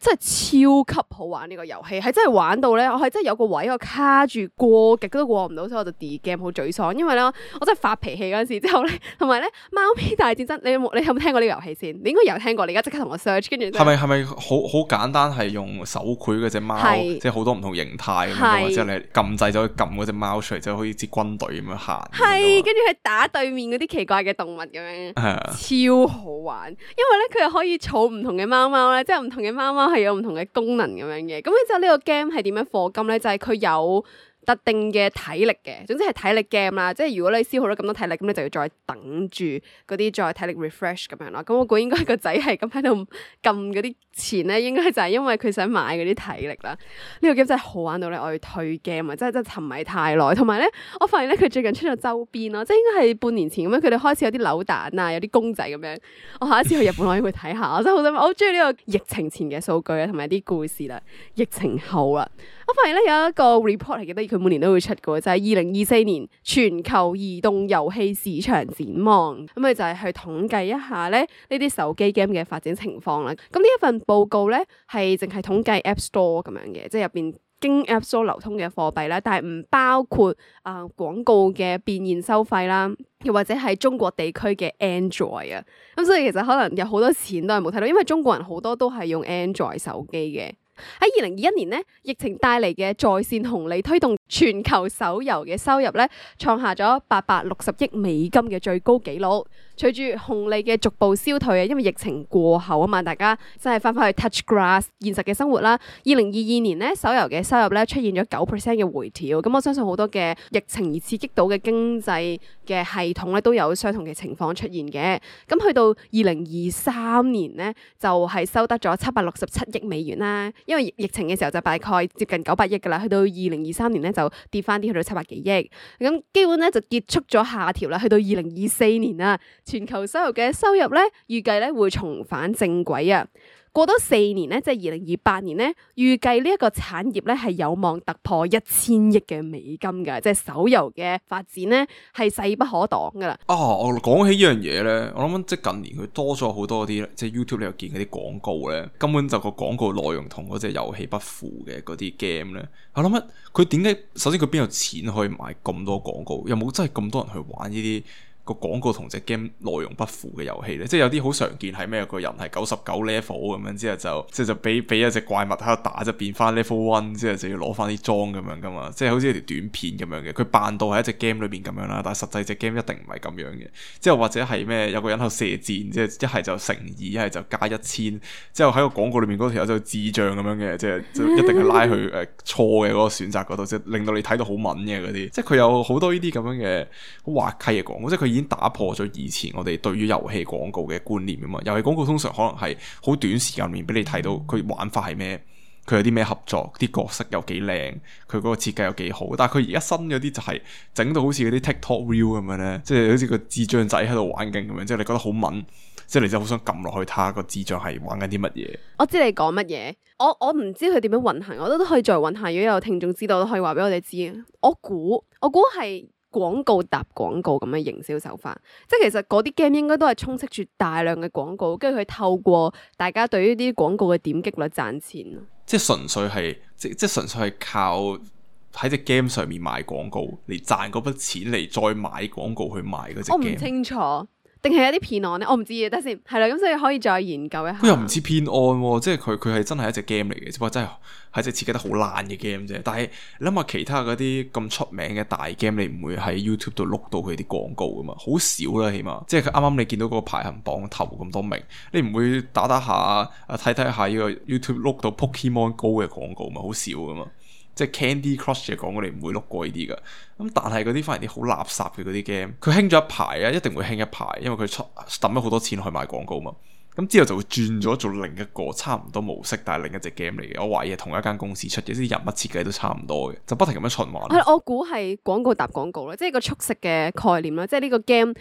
真係超級好玩呢個遊戲，係真係玩到咧，我係真係有個位我卡住過極都過唔到，所以我就 delete game 好沮喪。因為咧，我真係發脾氣嗰陣時之後咧，同埋咧貓咪大戰爭，你有冇聽過呢個遊戲先？你應該有聽過，你而家即刻同我 search， 跟住係咪好簡單？係用手繪嗰隻貓，即係好多唔同形態咁樣，之後你撳掣就可以撳嗰隻貓出嚟，就好似支軍隊咁樣行。係，跟住係打對面嗰啲奇怪嘅動物咁樣，超好玩。因為咧佢又可以儲唔同嘅貓貓咧，即係唔同嘅貓貓係有唔同嘅功能咁樣嘅。咁咧之後呢個 game 係點樣課金咧？就係佢有特定嘅體力嘅，總之係體力 game 啦。即係如果你消耗咗咁多體力，咁你就要再等住嗰啲再體力 refresh 咁樣啦。咁我估應該個仔係咁喺度撳嗰啲錢咧，應該就係因為佢想買嗰啲體力啦。呢個 game 真係好玩到咧，我要退 game 啊！真係沉迷太耐。同埋咧，我發現咧佢最近出咗周邊咯，即係應該係半年前咁樣，佢哋開始有啲扭蛋啊，有啲公仔咁樣。我下一次去日本我應該會睇下，我真係好想，我好中意呢個疫情前嘅數據啊，同埋啲故事啦。疫情後啦，我發現咧有一個 report 係記得佢每年都會出嘅，就係2024年全球移動遊戲市場展望。咁佢就係去統計一下咧呢啲手機 game 嘅發展情況啦。咁呢一份報告咧係淨係統計 App Store 咁樣嘅，即係入邊經 App Store 流通嘅貨幣啦，但係唔包括廣告嘅變現收費啦，又或者係中國地區嘅 Android 啊。咁所以其實可能有好多錢都係冇睇到，因為中國人好多都係用 Android 手機嘅。喺2021年咧，疫情帶嚟嘅在線紅利推動全球手遊嘅收入咧，創下咗860億美金嘅最高紀錄。隨住紅利嘅逐步消退啊，因為疫情過後啊嘛，大家真係翻返去 touch grass 現實嘅生活啦。2022年咧，手遊嘅收入咧出現咗9% 嘅回調。咁我相信好多嘅疫情而刺激到嘅經濟嘅系統咧，都有相同嘅情況出現嘅。咁去到2023年咧，就係收得咗767億美元啦。因為疫情嘅時候就大概接近900億噶啦，去到2023年咧就跌翻啲去到700幾億。咁基本咧就結束咗下調啦，去到2024年啦。全球收入嘅收入咧，預計咧會重返正軌啊！過多4年咧，即係2028年咧，預計呢一個產業咧係有望突破1000億嘅美金㗎，即係手遊嘅發展咧係勢不可擋㗎啦。我講起呢樣嘢咧，我諗即係近年佢多咗好多啲，即係 YouTube 你又見嗰啲廣告咧，根本就個廣告內容同嗰隻遊戲不符嘅嗰啲 game 咧。我諗佢點解？首先佢邊有錢可以買咁多廣告？有冇真係咁多人去玩呢啲？個廣告同隻 game 內容不符嘅遊戲咧，即係有啲好常見係咩？個人係99 level 咁樣，之後就俾一隻怪物喺度打，就變翻 level 1，之後就要攞翻啲裝咁樣噶嘛，即係好似一條短片咁樣嘅。佢扮到喺一隻 game 裏邊咁樣啦，但係實際隻 game 一定唔係咁樣嘅。之後或者係咩？有個人喺度射箭，即係一係就乘2，一係就加1000。之後喺個廣告裏面嗰條友就智障咁樣嘅，即係就一定係拉去錯嘅嗰個選擇嗰度，即係令到你睇到好敏嘅嗰啲。即係佢有好多呢啲咁樣嘅好滑稽嘅廣告，即係佢已經打破咗以前我哋對於遊戲廣告嘅觀念啊嘛。遊戲廣告通常可能係好短時間裏面俾你睇到佢玩法係咩，佢有啲咩合作，啲角色有幾靚，佢嗰個設計有幾好。但係佢而家新嗰啲就係整到好似嗰啲 TikTok Reel 咁樣咧，即係好似個智障仔喺度玩緊咁樣，即係你覺得好敏，即係你就好想撳落去睇下個智障係玩緊啲乜嘢。我知你講乜嘢，我唔知佢點樣運行，我都可以再運行。如果有聽眾知道，都可以話俾我哋知。我估係廣告搭廣告咁嘅營銷手法，即係其實嗰啲 game 應該都係充斥住大量嘅廣告，跟住佢透過大家對於啲廣告嘅點擊率賺錢。即係純粹係即係純粹係靠喺隻 game 上面賣廣告嚟賺嗰筆錢嚟再買廣告去賣嗰隻 game。我唔清楚。定係有啲騙案咧，我唔知嘅，等先係啦，咁所以可以再研究一下。佢又唔似騙案，即係佢係真係一隻 game 嚟嘅，只不過真係隻設計得好爛嘅 game 啫。但係你諗下其他嗰啲咁出名嘅大 game，你唔會喺 YouTube 度碌到佢啲廣告噶嘛？好少啦，起碼即係佢啱啱你見到嗰個排行榜頭咁多名，你唔會打下睇下呢個 YouTube 碌到 Pokemon Go 嘅廣告嘛？好少噶嘛。即係 Candy Crush 嘅廣告，你唔會碌過呢啲噶。咁但係嗰啲反而啲好垃圾嘅嗰啲 game，佢興咗一排啊，一定會興一排，因為佢抌咗好多錢去買廣告嘛。咁之後就會轉咗做另一個差唔多模式，但係另一隻 game 嚟嘅。我懷疑係同一間公司出嘅，啲人物設計都差唔多嘅，就不停咁樣循環。我估係廣告搭廣告啦，即係個速食嘅概念啦。即係呢個 game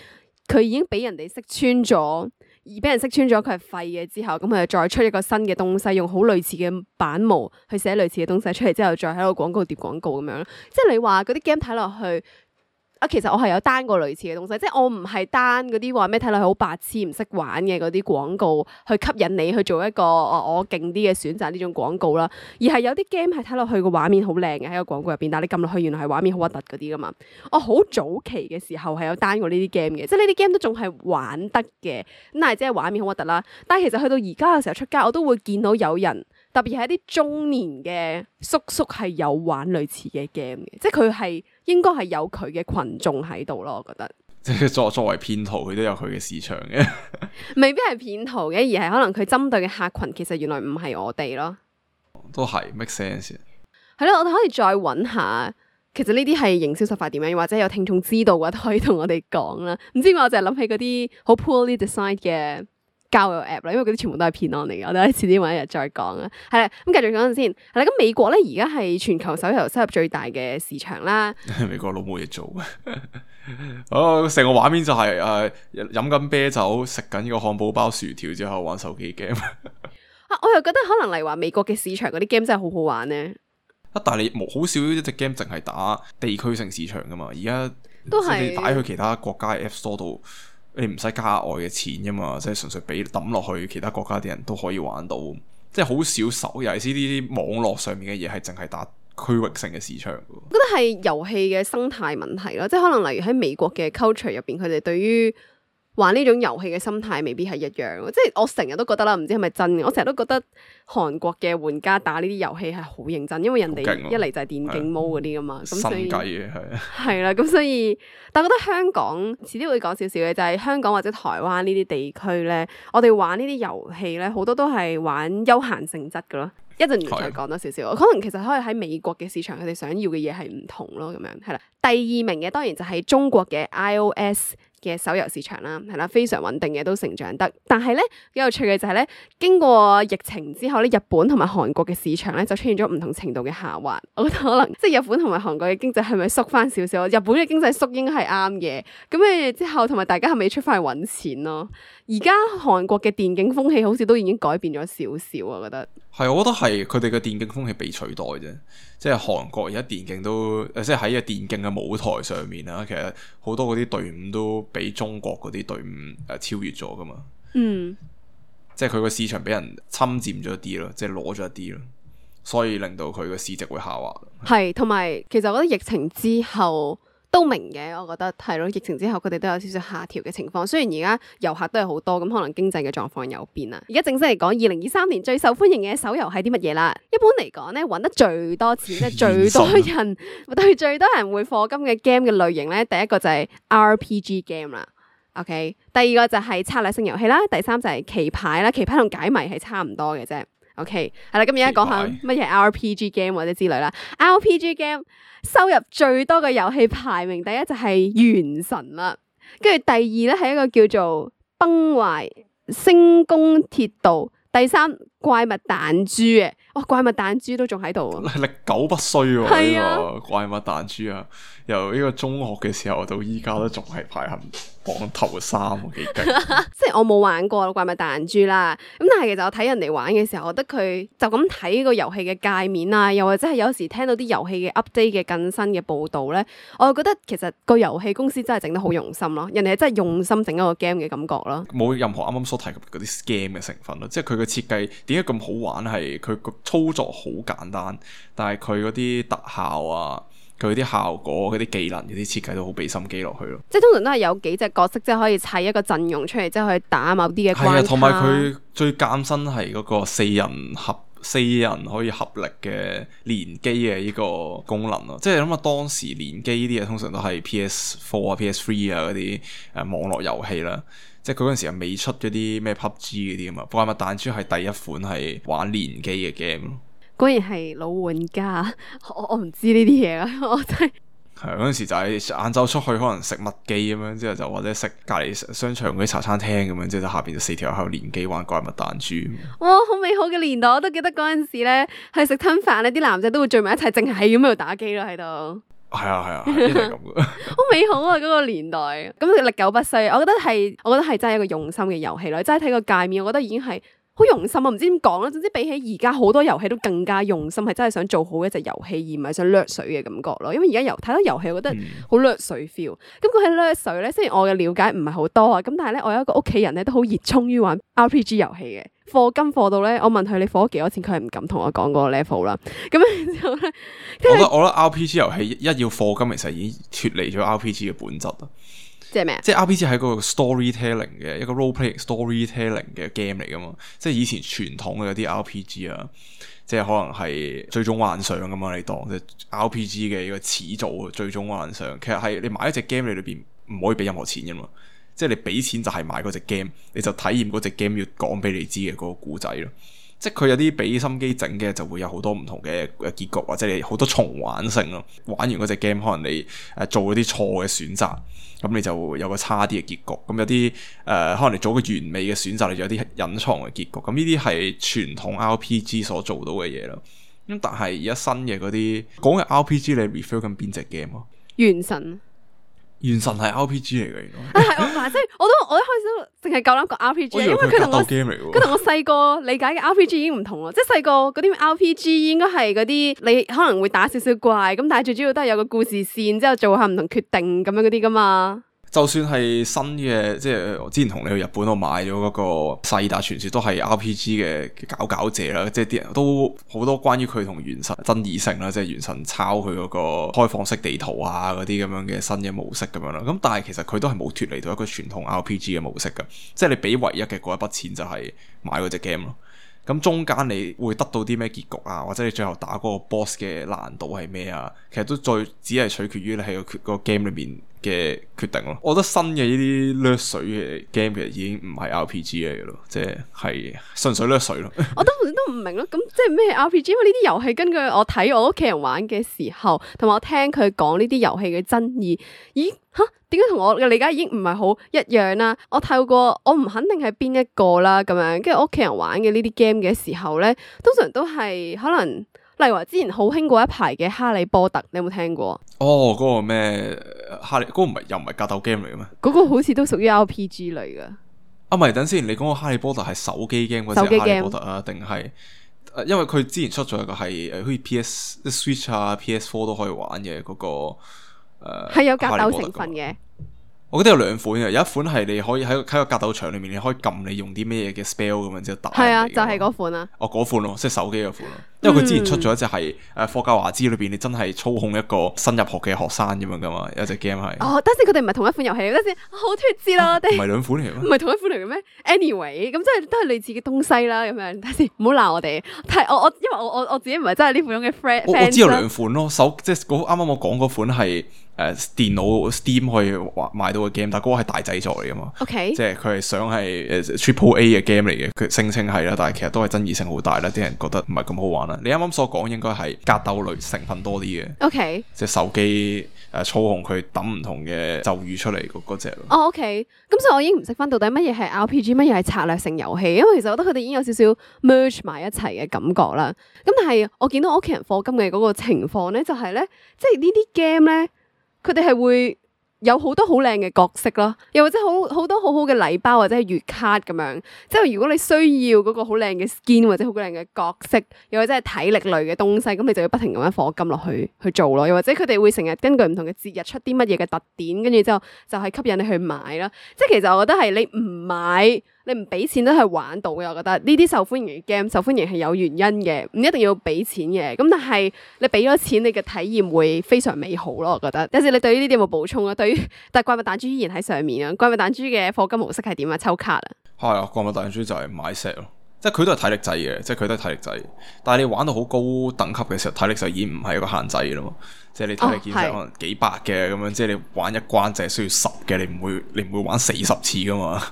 佢已經俾人哋識穿咗。而俾人識穿咗佢係廢嘅之後，咁佢就再出一個新嘅東西，用好類似嘅版模去寫類似嘅東西出嚟之後，再喺個廣告疊廣告咁樣咯。即係你話嗰啲 game 睇落去。其實我係有單過類似嘅東西，即係我唔係單嗰啲話咩睇落去好白痴唔識玩嘅嗰啲廣告去吸引你去做一個我勁啲嘅選擇呢種廣告啦，而係有啲 game 係睇落去個畫面好靚嘅喺個廣告入邊，但係你撳落去原來係畫面好核突嗰啲噶嘛。我好早期嘅時候係有單過呢啲 game 嘅，即係呢啲 game 都仲係玩得嘅，咁但係即係畫面好核突啦。但係其實去到而家嘅時候出街，我都會見到有人。特別係一啲中年嘅叔叔係有玩類似嘅 game 嘅，即係佢係應該係有佢嘅群眾喺度咯，我覺得。即係作為騙徒，佢都有佢嘅市場嘅。未必係騙徒嘅，而係可能佢針對嘅客群其實原來唔係我哋咯。都係 make sense。係咯，我哋可以再揾下，其實呢啲係營銷手法點樣，或者有聽眾知道嘅話，都可以同我哋講啦。唔知我就係諗起嗰啲好 poorly designed 嘅交友 app 啦，因為嗰啲全部都係騙案嚟嘅，我哋可以遲啲揾一日再講啦。係啦，咁繼續講陣先。係啦，咁美國咧而家係全球手遊收入最大嘅市場啦。美國佬冇嘢做，成個畫面就係飲緊啤酒，食緊呢個漢堡包、薯條之後玩手機 game。我又覺得可能嚟話美國嘅市場嗰啲 game 真係好好玩咧。但係你好少一隻 game 淨係打地區性市場噶嘛？而家都係你打去其他國家嘅 App Store 度。你唔使加額外嘅錢㗎嘛，即係純粹俾抌落去，其他國家啲人都可以玩到，即係好少手，尤其是呢啲網絡上面嘅嘢係淨係打區域性嘅市場㗎。我覺得係遊戲嘅生態問題咯，即係可能例如喺美國嘅 culture 入邊，佢哋對於玩呢種遊戲嘅心態未必係一樣，即係我成日都覺得啦，唔知係咪真嘅？我成日都覺得韓國嘅玩家打呢啲遊戲係好認真，因為人哋一嚟就係電競模嗰啲噶嘛，咁所以心計嘅係啦，咁所以，但我覺得香港遲啲會講少少嘅，就係香港或者台灣呢啲地區咧，我哋玩呢啲遊戲咧，好多都係玩休閒性質噶咯。一陣再講多少少，可能其實可以喺美國嘅市場，佢哋想要嘅嘢係唔同咯，咁樣係啦。第二名嘅當然就係中國嘅 iOS 嘅手遊市場啦，係啦，非常穩定嘅，都成長得。但係咧幾有趣嘅就係咧，經過疫情之後咧，日本同埋韓國嘅市場咧就出現咗唔同程度嘅下滑。我覺得可能即係日本同埋韓國嘅經濟係咪縮翻少少？日本嘅經濟縮應該係啱嘅。咁誒之後同埋大家係咪要出翻去揾錢咯？而家韓國嘅電競風氣好似都已經改變咗少少，我覺得。係，我覺得係佢哋嘅電競風氣被取代啫。即係韓國而家電競都，即係喺個電競嘅舞台上面啦，其實好多嗰啲隊伍都比中國嗰啲隊伍超越咗噶嘛。嗯，即係佢個市場俾人侵佔咗一啲咯，即係攞咗一啲咯，所以令到佢個市值會下滑。係，同埋其實我覺得疫情之後都明嘅，我覺得係咯。疫情之後佢哋都有少少下調嘅情況，雖然而家遊客都係好多，咁可能經濟嘅狀況有變啦。而家正式嚟講，2023年最受歡迎嘅手遊係啲乜嘢啦？一般嚟講咧，揾得最多錢即係最多人對最多人會課金嘅 game 嘅類型咧，第一個就係 RPG game 啦。OK， 第二個就係策略性遊戲啦，第三就係棋牌啦，棋牌同解謎係差唔多嘅啫。OK， 係啦，咁而家講下乜嘢 RPG game 或者之類啦。RPG game 收入最多嘅遊戲排名第一就係原神啦，跟住第二咧係一個叫做崩壞星宮鐵道，第三怪物彈珠嘅，哇，怪物彈珠都仲喺度，歷久不衰喎。係啊，呢個怪物彈珠啊，由呢個中學嘅時候到依家都仲係排行榜頭3，幾勁。即係我冇玩過怪物彈珠啦，咁但係其實我睇人哋玩嘅時候，我覺得佢就咁睇個遊戲嘅界面啊，又或者係有時聽到啲遊戲嘅 update 嘅更新嘅報導咧，我就覺得其實個遊戲公司真係整得好用心咯，人哋係真係用心整一個 game 嘅感覺咯，冇任何啱啱所提及嗰啲 scam 嘅成分咯，即係佢嘅設計點解咁好玩？係佢個操作好簡單，但係佢嗰啲特效啊，佢啲效果、嗰啲技能、嗰啲設計都好俾心機落去咯。即係通常都係有幾隻角色，即係可以砌一個陣容出嚟，即係去打某啲嘅關卡。係啊，同埋佢最艱辛係嗰個四人可以合力嘅連機嘅呢個功能咯。即係諗下當時連機呢啲嘢，通常都係 PS4 啊、PS3 啊嗰啲網絡遊戲啦。即係佢嗰陣時又未出嗰啲咩 PUBG 嗰啲啊嘛，怪物彈珠係第一款係玩連機嘅 game 咯。果然係老玩家，我唔知呢啲嘢啊，我真係係嗰陣時就係晏晝出去可能食麥記咁樣，之後就或者食隔離商場嗰啲茶餐廳咁樣，之後就下邊就4條喺度連機玩怪物彈珠。哇，好美好嘅年代，我都記得嗰陣時咧去食吞飯咧，啲男仔都會聚埋一齊，淨係咁喺度打機咯喺度。係啊，一定係咁嘅。好美好啊！嗰個年代，咁歷久不衰。我覺得係真係一個用心嘅遊戲咯。齋睇個界面，我覺得已經係好用心啊！唔知點講啦。總之比起而家好多遊戲都更加用心，係真係想做好一隻遊戲，而唔係想掠水嘅感覺咯。因為而家睇到遊戲，我覺得好掠水 feel。咁講起掠水咧，雖然我嘅了解唔係好多啊，咁但係咧，我有一個屋企人咧都好熱衷於玩 RPG 遊戲嘅。課金課到咧，我問佢你課咗幾多錢，佢係唔敢同我講嗰個 level 啦。咁然之後咧，我覺得 RPG 遊戲一要課金，其實已經脫離咗 RPG 嘅本質啦。即係咩啊？即係 RPG 係一個 storytelling 嘅一個 role play storytelling 嘅 game 嚟噶嘛。即係以前傳統嘅嗰啲 RPG 啊，即係可能係最終幻想咁嘛。你當即係 RPG 嘅一個始祖最終幻想，其實係你買一隻 game 你裏邊唔可以俾任何錢噶嘛。即係你俾錢就係買嗰隻 game，你就體驗嗰隻 game 要講俾你知嘅嗰個故仔咯。即係佢有啲俾心機整嘅，就會有好多唔同嘅結局，或者你好多重玩性咯。玩完嗰隻 game，可能你做嗰啲錯嘅選擇，咁你就會有個差啲嘅結局。咁有啲可能你做個完美嘅選擇，你就有啲隱藏嘅結局。咁呢啲係傳統 RPG 所做到嘅嘢咯。咁但係而家新嘅嗰啲講嘅 RPG，你 refer 緊邊隻 game 啊？原神。原神係 RPG 嚟嘅，原來係即係我一開始淨係夠膽講 RPG，因為佢同我細個理解嘅 RPG 已經唔同咯。即係細個嗰啲 RPG 應該係嗰啲你可能會打少少怪，咁但係最主要都係有個故事線，之後做下唔同決定咁樣嗰啲噶嘛。就算係新嘅，即係我之前同你去日本，我買咗嗰個《薩爾達傳說》都係 RPG 嘅搞者啦，即係啲人都好多關於佢同原神爭議性啦，即係原神抄佢嗰個開放式地圖啊嗰啲咁樣嘅新嘅模式咁樣啦。咁但係其實佢都係冇脫離到一個傳統 RPG 嘅模式噶，即係你俾唯一嘅嗰一筆錢就係買嗰隻 game 咯。咁中間你會得到啲咩結局啊？或者你最後打嗰個 boss 嘅難度係咩啊？其實都只係取決於你喺個 game 裏面嘅決定咯。我覺得新嘅呢啲掠水嘅 game 其實已經唔係 RPG 嚟嘅咯，即係純粹掠水咯。我都唔明咯，咁即係咩 RPG？因為呢啲遊戲根據我睇我屋企人玩嘅時候，同埋我聽佢講呢啲遊戲嘅爭議，咦吓？點解同我嘅理解已經唔係好一樣啦？我透過我唔肯定係邊一個啦，咁樣跟住屋企人玩嘅呢啲 game 嘅時候咧，通常都係可能，例如話之前好興過一排嘅《哈利波特》，你有冇聽過？哦，嗰個咩哈利嗰個唔係又唔係格鬥 game 嚟嘅咩？嗰個好似都屬於 RPG 類噶。啊，唔係，等先，你講個哈利波特係手機 game 嗰隻哈利波特啊，定係？因為佢之前出咗一個係好似 PS Switch 啊、PS4 都可以玩嘅嗰個。係有格鬥成分嘅，我覺得有兩款嘅，有一款係你可以喺個格鬥場裏面，你可以撳你用啲咩嘢嘅 spell 咁樣之後打。係啊，就係嗰款啊。哦，嗰款咯，即係手機嗰款咯。因為佢之前出咗一隻係霍格華茲裏邊，你真係操控一個新入學嘅學生咁樣噶嘛，有隻 game 係。哦，但係佢哋唔係同一款遊戲，等陣好脫節啦，我哋。唔係兩款嚟嘅咩？唔係同一款嚟嘅咩 ？Anyway，咁即係都係類似嘅東西啦，咁樣。等陣唔好鬧我哋。但係因為我自己唔係真係呢款嘅 friend。我知有兩款咯，即係啱啱我講嗰款係。電腦 Steam 可以買到嘅 game，但係嗰個係大製作嚟噶嘛。OK，即係佢係想係Triple A 嘅 game 嚟嘅，佢聲稱係啦，但係其實都係爭議性好大啦，啲人覺得唔係咁好玩啦。你啱啱所講應該係格鬥類成分多啲嘅。OK，即係手機操控佢揼唔同嘅咒語出嚟嗰隻咯。哦 OK，咁所以我已經唔識分到底乜嘢係 RPG，乜嘢係策略性遊戲，因為其實我覺得佢哋已經有少少 merge 埋一齊嘅感覺啦。咁但係我見到我屋企人課金嘅嗰個情況咧，就係咧，即係呢啲 game 咧。佢哋係會有好多好靚嘅角色咯，又或者好多好好嘅禮包或者係月卡咁樣。即係如果你需要嗰個好靚嘅 skin 或者好靚嘅角色，又或者係體力類嘅東西，咁你就要不停咁樣課金落去做咯。又或者佢哋會成日根據唔同嘅節日出啲乜嘢嘅特典，跟住之後就係吸引你去買啦。即係其實我覺得係你唔買。你唔俾錢都係玩到嘅，我覺得呢啲受歡迎嘅 game 受歡迎係有原因嘅，唔一定要俾錢嘅。咁但係你俾咗錢，你嘅體驗會非常美好咯。我覺得。有時你對於呢啲有冇補充啊？對於但係怪物彈珠依然喺上面啊！怪物彈珠嘅課金模式係點啊？抽卡啊？係啊，怪物彈珠就係買 set 咯。即係佢都係體力制嘅，即係佢都係體力制。但係你玩到好高等級嘅時候，體力就已經唔係一個限制嘅啦嘛。即係你體力建設可能幾百嘅咁樣，即係你玩一關就係需要10嘅，你唔會玩40次噶嘛。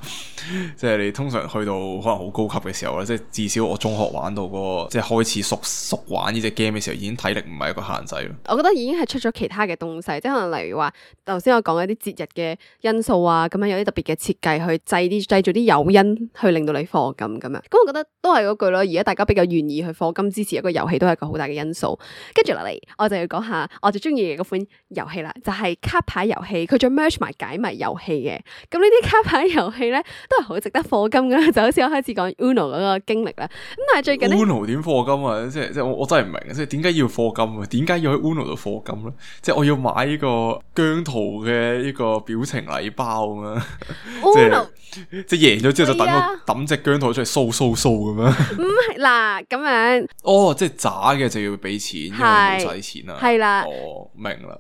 即係你通常去到可能好高級嘅時候咧，即係至少我中學玩到嗰個即係開始熟玩呢隻 game 嘅時候，已經體力唔係一個限制咯。我覺得已經係出咗其他嘅東西，即係可能例如話頭先我講一啲節日嘅因素啊，咁樣有啲特別嘅設計去製造啲誘因去令到你課金咁樣。咁我覺得都係嗰句咯，而家大家比較願意去課金支持一個遊戲，都係一個好大嘅因素。跟住落嚟，我就要講下我最中意嘅嗰款遊戲啦，就係卡牌遊戲，佢仲 merge 埋解謎遊戲嘅。咁呢啲卡牌遊戲咧，都係好值得課金噶，就好似我開始講 Uno 嗰個經歷啦。咁但係最近 Uno 點課金啊？即係我真係唔明，即係點解要課金啊？點解要喺 Uno 度課金咧？即係我要買呢個姜濤嘅呢個表情禮包咁樣。Uno 即係贏咗之後就等我抌隻姜濤出嚟掃咁樣。唔係嗱咁樣。哦，即係渣嘅就要俾錢，因為冇使錢啦。係啦。哦，明啦。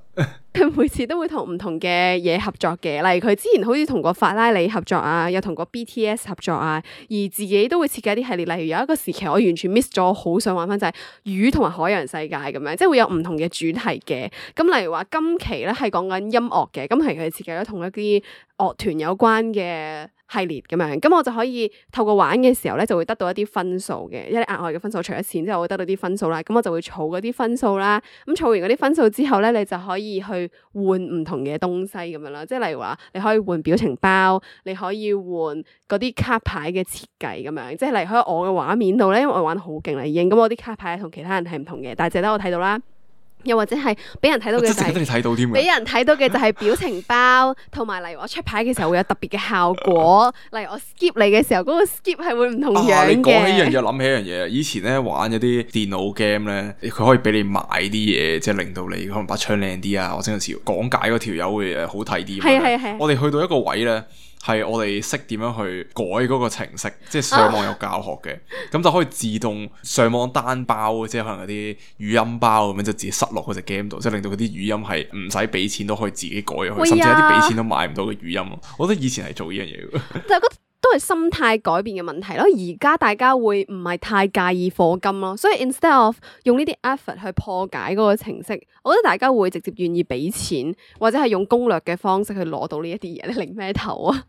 佢每次都會同唔同嘅嘢合作嘅，例如佢之前好似同過法拉利合作啊，又同過 BTS 合作啊，而自己都會設計啲系列，例如有一個時期我完全 miss 咗，好想玩翻就係魚同埋海洋世界咁樣，即係會有唔同嘅主題嘅。咁例如話今期咧係講緊音樂嘅，咁係佢設計咗同一啲樂團有關嘅系列咁樣，咁我就可以透過玩嘅時候咧，就會得到一啲分數嘅，一啲額外嘅分數，除咗錢之後，我會得到啲分數啦。咁我就會儲嗰啲分數啦。咁儲完嗰啲分數之後咧，你就可以去換唔同嘅東西咁樣啦。即係例如話，你可以換表情包，你可以換嗰啲卡牌嘅設計咁樣。即係例如喺我嘅畫面度咧，因為我玩得好勁啦已經，咁我啲卡牌同其他人係唔同嘅，但係淨係得我睇到啦。又或者係俾人睇到嘅就係即係得你睇到添俾嘅。人睇到嘅就係表情包，同埋例如我出牌嘅時候會有特別嘅效果，例如我 skip 你嘅時候，嗰個 skip 係會唔同樣你講起呢樣嘅。嘢，諗起一樣嘢。以前咧玩嗰啲電腦 game 咧，佢可以俾你買啲嘢，即係令到你可能把槍靚啲啊，或者有時講解嗰條友會好睇啲。係係係我哋去到一個位咧。係我哋識點樣去改嗰個程式，即係上網有教學嘅，咁就可以自動上網單包，即係可能嗰啲語音包咁樣就自己塞落嗰隻 game 度，即係令到嗰啲語音係唔使俾錢都可以自己改入去，喂呀甚至有啲俾錢都買唔到嘅語音咯。我覺得以前係做呢樣嘢嘅。就覺得都係心態改變嘅問題咯。而家大家會唔係太介意課金咯，所以 instead of 用呢啲 effort 去破解嗰個程式，我覺得大家會直接願意俾錢，或者係用攻略嘅方式去攞到呢一啲嘢。你擰咩頭啊？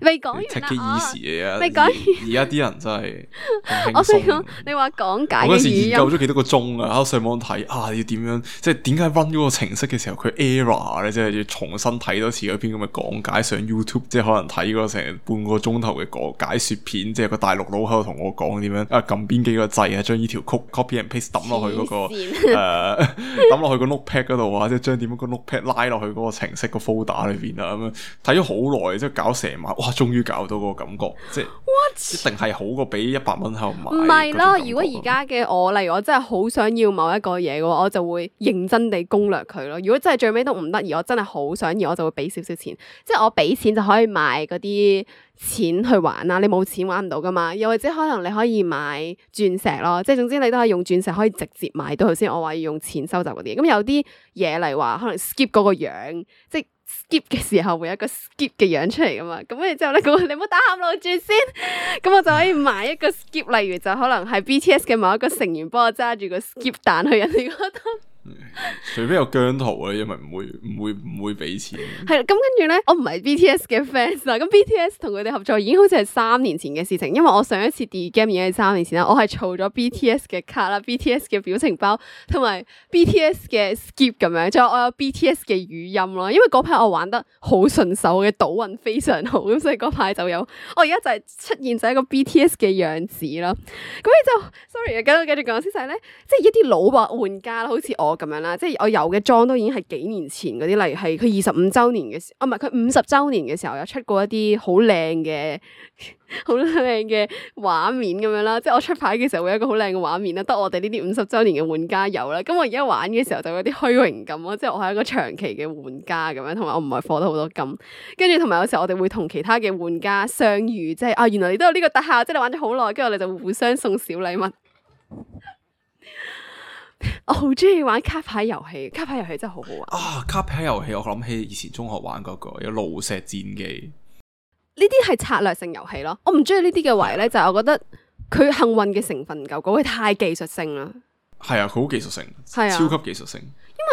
未講完 take it 啦， easy 嘅啊！未講完而家啲人真係咁輕我想講鬆。你話講解我嗰時嘅語音，研究咗幾多個鐘啊！喺度上網睇啊，要點樣即係點解 run 嗰個程式嘅時候佢 error 咧，即係要重新睇多次嗰篇咁嘅講解上 YouTube，即係可能睇嗰成半個鐘頭嘅解說片，即係個大陸佬喺度同我講點樣啊撳邊幾個掣啊，將呢條曲 copy and paste 抌落去嗰個抌落去個 notepad 嗰度啊，即係將點樣個 notepad 拉落去嗰個程式個 folder 裏邊啊，咁樣睇咗好耐，即係搞成晚，哇！終於搞到嗰個感覺，即係一定係好過俾100蚊喺度買。唔係咯，如果而家嘅我，例如我真係好想要某一個嘢嘅話，我就會認真地攻略佢咯。如果真係最尾都唔得，而我真係好想要，我就會俾少少錢，即係我俾錢就可以買嗰啲錢去玩啦。你冇錢玩唔到噶嘛？又或者可能你可以買鑽石咯，即係總之你都係用鑽石可以直接買到。頭先我話要用錢收集嗰啲，咁有啲嘢例如話可能 skip 嗰個樣，即係 skip 嘅時候會有一個 skip 嘅樣出嚟噶嘛，咁跟住之後咧，你唔好打喊路住先，咁我就可以買一個 skip，例如就可能係 BTS 嘅某一個成員幫我揸住個 skip 彈去人哋嗰度。除非有姜濤啊，因為唔會俾錢。係啦，咁跟住咧，我唔係 BTS 嘅 fans 啦。咁 BTS 同佢哋合作已經好似係3年前嘅事情，因為我上一次 D game 已經係3年前啦。我係儲咗 BTS 嘅卡啦、BTS 嘅表情包同埋 BTS 嘅 skip 咁樣，仲有我有 BTS 嘅語音咯。因為嗰排我玩得好順手嘅賭運非常好，咁所以嗰排就有。我而家就係出現咗一個 BTS 嘅樣子啦。咁你就 sorry 啊，繼續講先晒咧，即係一啲老玩家啦，好似我咁樣啦，即係我有嘅裝都已經係幾年前嗰啲，例如係佢25週年嘅時，唔係佢50週年嘅時候有出過一啲好靚嘅畫面咁樣啦，即係我出牌嘅時候會有一個好靚嘅畫面啦，得我哋呢啲50週年嘅玩家有啦。咁我而家玩嘅時候就有啲虛榮感咯，即係我係一個長期嘅玩家咁樣，同埋我唔係課得好多金，跟住同埋有時候我哋會同其他嘅玩家相遇，即係啊原來你都有呢個特效，即係你玩咗好耐，跟住我哋就會互相送小禮物。我好中意玩卡牌遊戲，卡牌遊戲真係好好玩啊！卡牌遊戲我諗起以前中學玩嗰個有爐石戰記，呢啲係策略性遊戲咯。我唔中意呢啲嘅位咧，就係我覺得佢幸運嘅成分唔夠高，佢太技術性啦。係啊，佢好技術性，係啊超級技術性。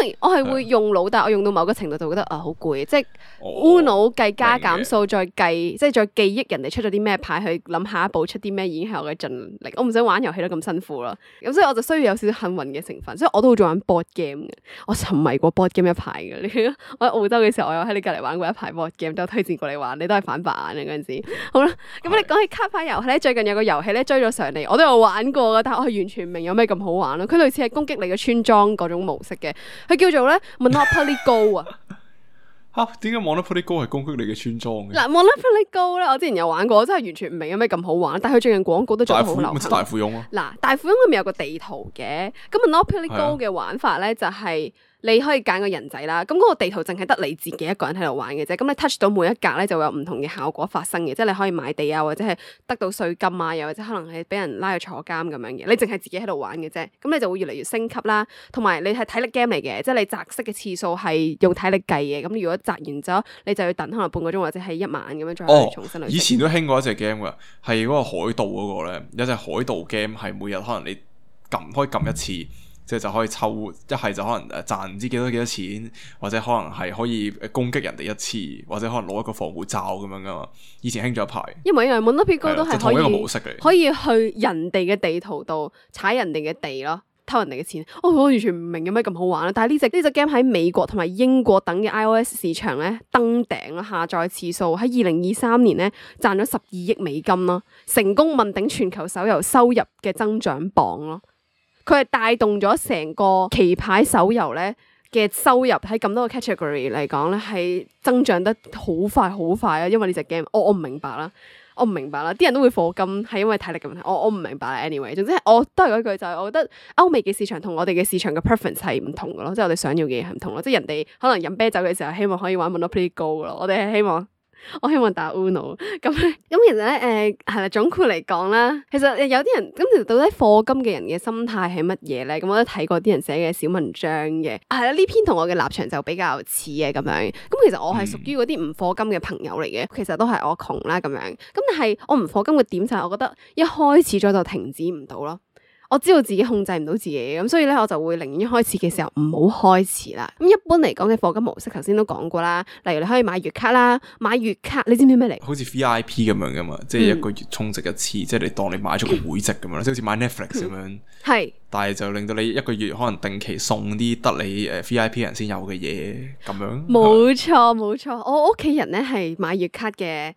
因為我係會用腦，但係我用到某個程度就覺得好攰，即係 Uno 計加減數，再計即係再記憶人哋出咗啲咩牌，去諗下一步出啲咩，已經係我嘅盡力。我唔想玩遊戲都咁辛苦啦，咁所以我就需要有少少幸運嘅成分，所以我都好中意玩 board game 嘅。我沉迷過 board game 一排嘅。我喺澳洲嘅時候，我有喺你隔離玩過一排 board game，都有推薦過你玩，你都係反白眼嘅嗰陣時。好啦，咁你講起卡牌遊戲咧，最近有個遊戲咧追咗上嚟，我都有玩過嘅，但係我係完全唔明有咩咁好玩咯。佢類似係攻擊你嘅村莊嗰種模式嘅。佢叫做咧 Monopoly Go 啊！吓，點解 Monopoly Go 係攻擊你嘅村莊嘅？嗱 Monopoly Go 咧，我之前有玩過，我真係完全唔明有咩咁好玩。但係佢最近廣告都做得好流行。大富翁啊！嗱，大富翁裏面有個地圖嘅，咁 Monopoly Go 嘅玩法咧就係你可以揀個人仔啦，咁嗰個地圖淨係得你自己一個人喺度玩嘅啫。咁你 touch 到每一格咧，就會有唔同嘅效果發生嘅，即係你可以買地啊，或者係得到稅金啊，又或者可能係俾人拉去坐監咁樣嘅。你淨係自己喺度玩嘅啫，咁你就會越嚟越升級啦。同埋你係體力 game 嚟嘅，即係你擲色嘅次數係用體力計嘅。咁如果擲完咗，你就要等可能半個鐘或者係1晚咁樣再重新嚟。以前都興過一隻 game 噶，係嗰個海盜嗰個咧，有隻海盜 game 係每日可能你可以撳一次。即係就可以抽，一係就可能賺唔知幾多錢，或者可能係可以攻擊人哋一次，或者可能攞一個防護罩咁樣噶嘛。以前興咗一排，因為 Monopoly Go 都係同一個模式嚟，可以去人哋嘅地圖度踩人哋嘅地咯，偷人哋嘅錢。我完全唔明有咩咁好玩啦。但係呢隻 game 喺美國同埋英國等嘅 iOS 市場咧登頂啦，下載次數喺2023年咧賺咗12億美金咯，成功問鼎全球手遊收入嘅增長榜咯。佢係帶動咗成個棋牌手遊咧嘅收入喺咁多個 category 嚟講咧，係增長得好快啊！因為呢隻 game，我唔明白啦。我唔明白啦，啲人都會課金係因為體力嘅問題，我唔明白啦。anyway， 總之我都係嗰句就係，我覺得歐美嘅市場同我哋嘅市場嘅 preference 係唔同嘅咯，即係我哋想要嘅嘢係唔同咯。即係人哋可能飲啤酒嘅時候希望可以玩 Monopoly Go 咯，我哋係希望打 Uno 咁其實咧係啦，總括嚟講啦，其實有啲人咁，其實到底課金嘅人嘅心態係乜嘢咧？咁我都睇過啲人寫嘅小文章嘅，係啦，呢篇同我嘅立場就比較似嘅咁樣。咁其實我係屬於嗰啲唔課金嘅朋友嚟嘅，其實都係我窮啦咁樣。咁但係我唔課金嘅點就係我覺得一開始咗就停止唔到咯。我知道自己控制唔到自己，咁所以咧我就會寧願一開始嘅時候唔好開始啦。咁一般嚟講嘅課金模式，頭先都講過啦。例如你可以買月卡啦，買月卡你知唔知咩嚟？好似 VIP 咁樣噶嘛，即係一個月充值一次，即係你當你買咗個會籍咁樣，即係好似買 Netflix 咁樣。係，但係就令到你一個月可能定期送啲得你VIP 人先有嘅嘢咁樣。冇錯，我屋企人咧係買月卡嘅。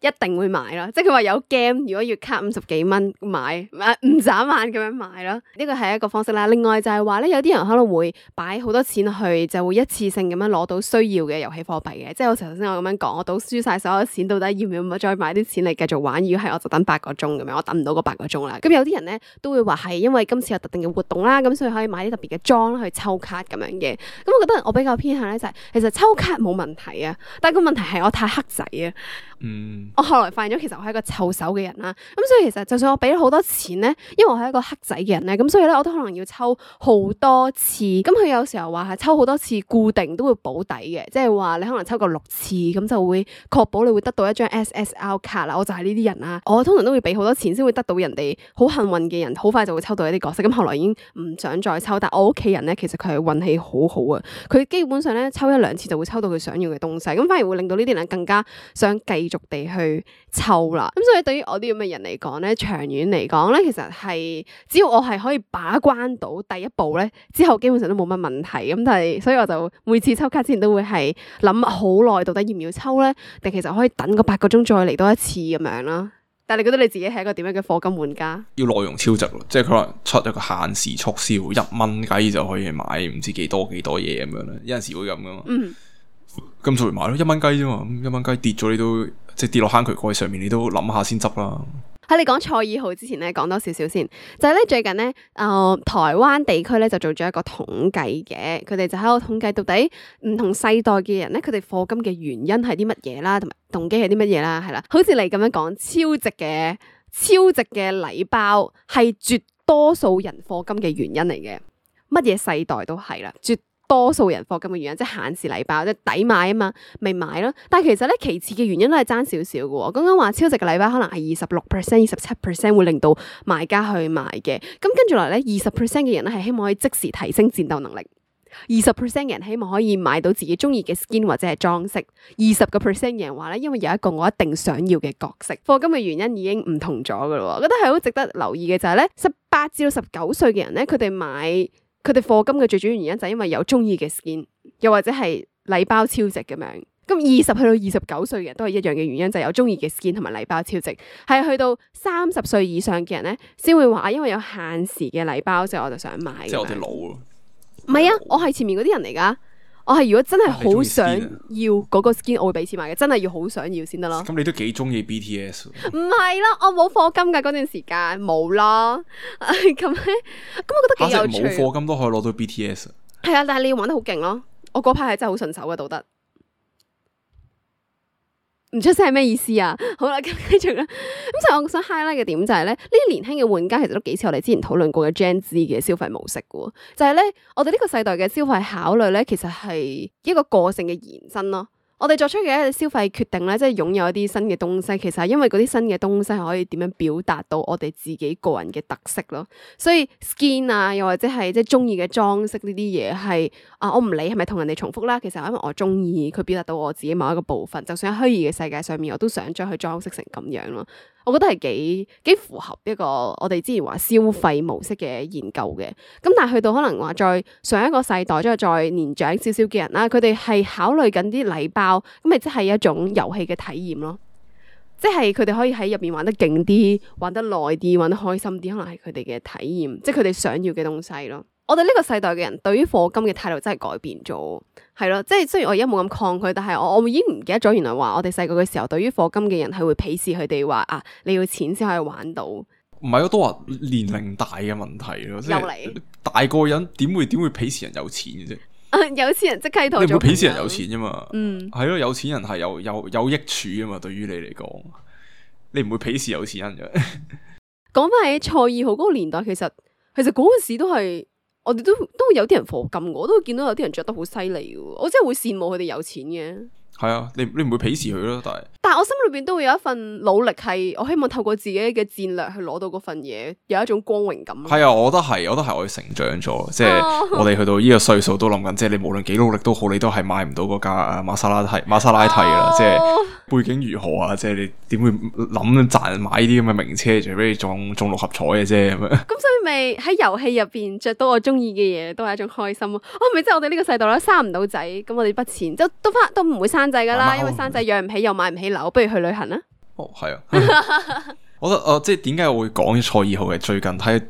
一定會買啦，即係佢話有 game，如果月卡50幾蚊買唔眨眼咁樣買啦，呢個係一個方式啦。另外就係話咧，有啲人可能會擺好多錢去，就會一次性咁樣攞到需要嘅遊戲貨幣嘅，即係好似頭先我咁樣講，我賭輸晒所有錢，到底要唔要再買啲錢嚟繼續玩？如果係我就等8個鐘咁樣，我等唔到嗰8個鐘啦。咁有啲人咧都會話係因為今次有特定嘅活動啦，咁所以可以買啲特別嘅裝去抽卡咁樣嘅。咁我覺得我比較偏向咧就係，其實抽卡冇問題啊，但係個問題係我太黑仔啊。我後來發現咗，其實我係一個臭手嘅人啦。咁所以其實就算我俾咗好多錢咧，因為我係一個黑仔嘅人咧，咁所以咧我都可能要抽好多次。咁佢有時候話係抽好多次固定都會保底嘅，即係話你可能抽夠6次，咁就會確保你會得到一張 SSR 卡啦。我就係呢啲人啦。我通常都會俾好多錢先會得到人哋好幸運嘅人，好快就會抽到一啲角色。咁後來已經唔想再抽，但我屋企人咧其實佢係運氣好好啊。佢基本上咧抽1-2次就會抽到佢想要嘅東西，咁反而會令到呢啲人更加想繼續地去抽啦。咁所以對於我啲咁嘅人嚟講咧，長遠嚟講咧，其實係只要我係可以把關到第一步咧，之後基本上都冇乜問題。咁但係所以我就每次抽卡之前都會係諗好耐，到底要唔要抽咧？定其實可以等個8個鐘再嚟多一次咁樣啦。但係你覺得你自己係一個點樣嘅課金玩家？要內容超值咯，即係佢可能出一個限時促銷1蚊雞就可以買唔知幾多嘢咁樣咧，有陣時會咁噶嘛。咁就會買咯，1蚊雞啫嘛，1蚊雞跌咗你都即係跌落坑渠蓋上面，你都諗下先執啦。喺你講賽爾號之前咧，講多少少先，就係咧最近咧，台灣地區咧就做咗一個統計嘅，佢哋就喺度統計到底唔同世代嘅人咧，佢哋課金嘅原因係啲乜嘢啦，同埋動機係啲乜嘢啦，係啦，好似你咁樣講，超值嘅禮包係絕多數人課金嘅原因嚟嘅，乜嘢世代都係啦，絕多數人課金嘅原因，即係限時禮包，即係抵買啊嘛，咪買咯。但係其實咧，其次嘅原因都係爭少少嘅。講緊話超值嘅禮包可能係26%、27% 會令到買家去買嘅。咁跟住落嚟咧，20% 嘅人咧係希望可以即時提升戰鬥能力，20% 嘅人希望可以買到自己中意嘅 skin 或者係裝飾，20% 嘅人話咧，因為有一個我一定想要嘅角色。課金嘅原因已經唔同咗噶啦，我覺得係好值得留意嘅就係咧，18至到19歲嘅人咧，佢哋課金嘅最主要原因就係因為有中意嘅 skin， 又或者係禮包超值咁樣。咁20去到29歲嘅人都係一樣嘅原因，就係有中意嘅 skin 同埋禮包超值。係去到30歲以上嘅人咧，先會話因為有限時嘅禮包，所以我就想買。即係我哋老咯。唔係啊，我係前面嗰啲人嚟噶。我係如果真係好想要嗰個 skin，我會俾錢買嘅，真係要好想要先得咯。咁你都幾中意 BTS？ 唔係啦，我冇課金噶嗰段時間，冇啦。咁我覺得幾有趣。冇課金都可以攞到 BTS。係啊，但係你要玩得好勁咯。我嗰排係真係好順手嘅，道德。唔出聲係咩意思啊？好啦，咁繼續啦。咁就我想 highlight 嘅點就係咧，呢啲年輕嘅玩家其實都幾似我哋之前討論過嘅 Gen Z 嘅消費模式嘅，就係咧，我哋呢個世代嘅消費考慮咧，其實係一個個性嘅延伸咯。我哋作出嘅一個消費決定咧，即係擁有一啲新嘅東西，其實係因為嗰啲新嘅東西係可以點樣表達到我哋自己個人嘅特色咯。所以 skin 啊，又或者係即係中意嘅裝飾呢啲嘢係我唔理係咪同人哋重複啦。其實係因為我中意佢表達到我自己某一個部分，就算喺虛擬嘅世界上面，我都想將佢裝飾成咁樣咯。我覺得係幾符合一個我哋之前話消費模式嘅研究嘅。咁但係去到可能話再上一個世代，即係再年長少少嘅人啦，佢哋係考慮緊啲禮包，咁咪即係一種遊戲嘅體驗咯。即係佢哋可以喺入邊玩得勁啲，玩得耐啲，玩得開心啲，可能係佢哋嘅體驗，即係佢哋想要嘅東西咯。我哋呢個世代嘅人對於課金嘅態度真係改變咗，係咯，即係雖然我而家冇咁抗拒，但係我已經唔記得咗，原來話我哋細個嘅時候，對於課金嘅人係會鄙視佢哋話啊，你要錢先可以玩到。唔係，我都話年齡大嘅問題咯，即係嚟大個人點會鄙視人有錢嘅啫？有錢人即刻同你唔會鄙視人有錢啫嘛？係咯，有錢人係有益處啊嘛，對於你嚟講，你唔會鄙視有錢人嘅。講翻起蔡二號嗰個年代，其實嗰陣時都係。我哋都會有啲人課金，我都會見到有啲人着得好犀利嘅，我真係會羨慕佢哋有錢嘅。係啊，你唔會鄙視佢咯，但係我心裏邊都會有一份努力，係我希望透過自己嘅戰略去攞到嗰份嘢，有一種光榮感。係啊，我覺得係我哋成長咗，即係我哋去到呢個歲數都諗緊，即係你無論幾努力都好，你都係買唔到嗰架瑪莎拉蒂啦，即係背景如何啊，即係你點會諗賺買啲咁嘅名車，除非你中六合彩嘅啫咁樣。咁所以咪喺遊戲入邊着到我中意嘅嘢，都係一種開心咯。咪即係我哋呢個世代啦，生唔到仔，咁我哋筆錢都唔會生仔噶啦，因為生仔養唔起又買唔起樓，不如去旅行啦。係啊，我覺得即係點解我會講蔡二號嘅？最近睇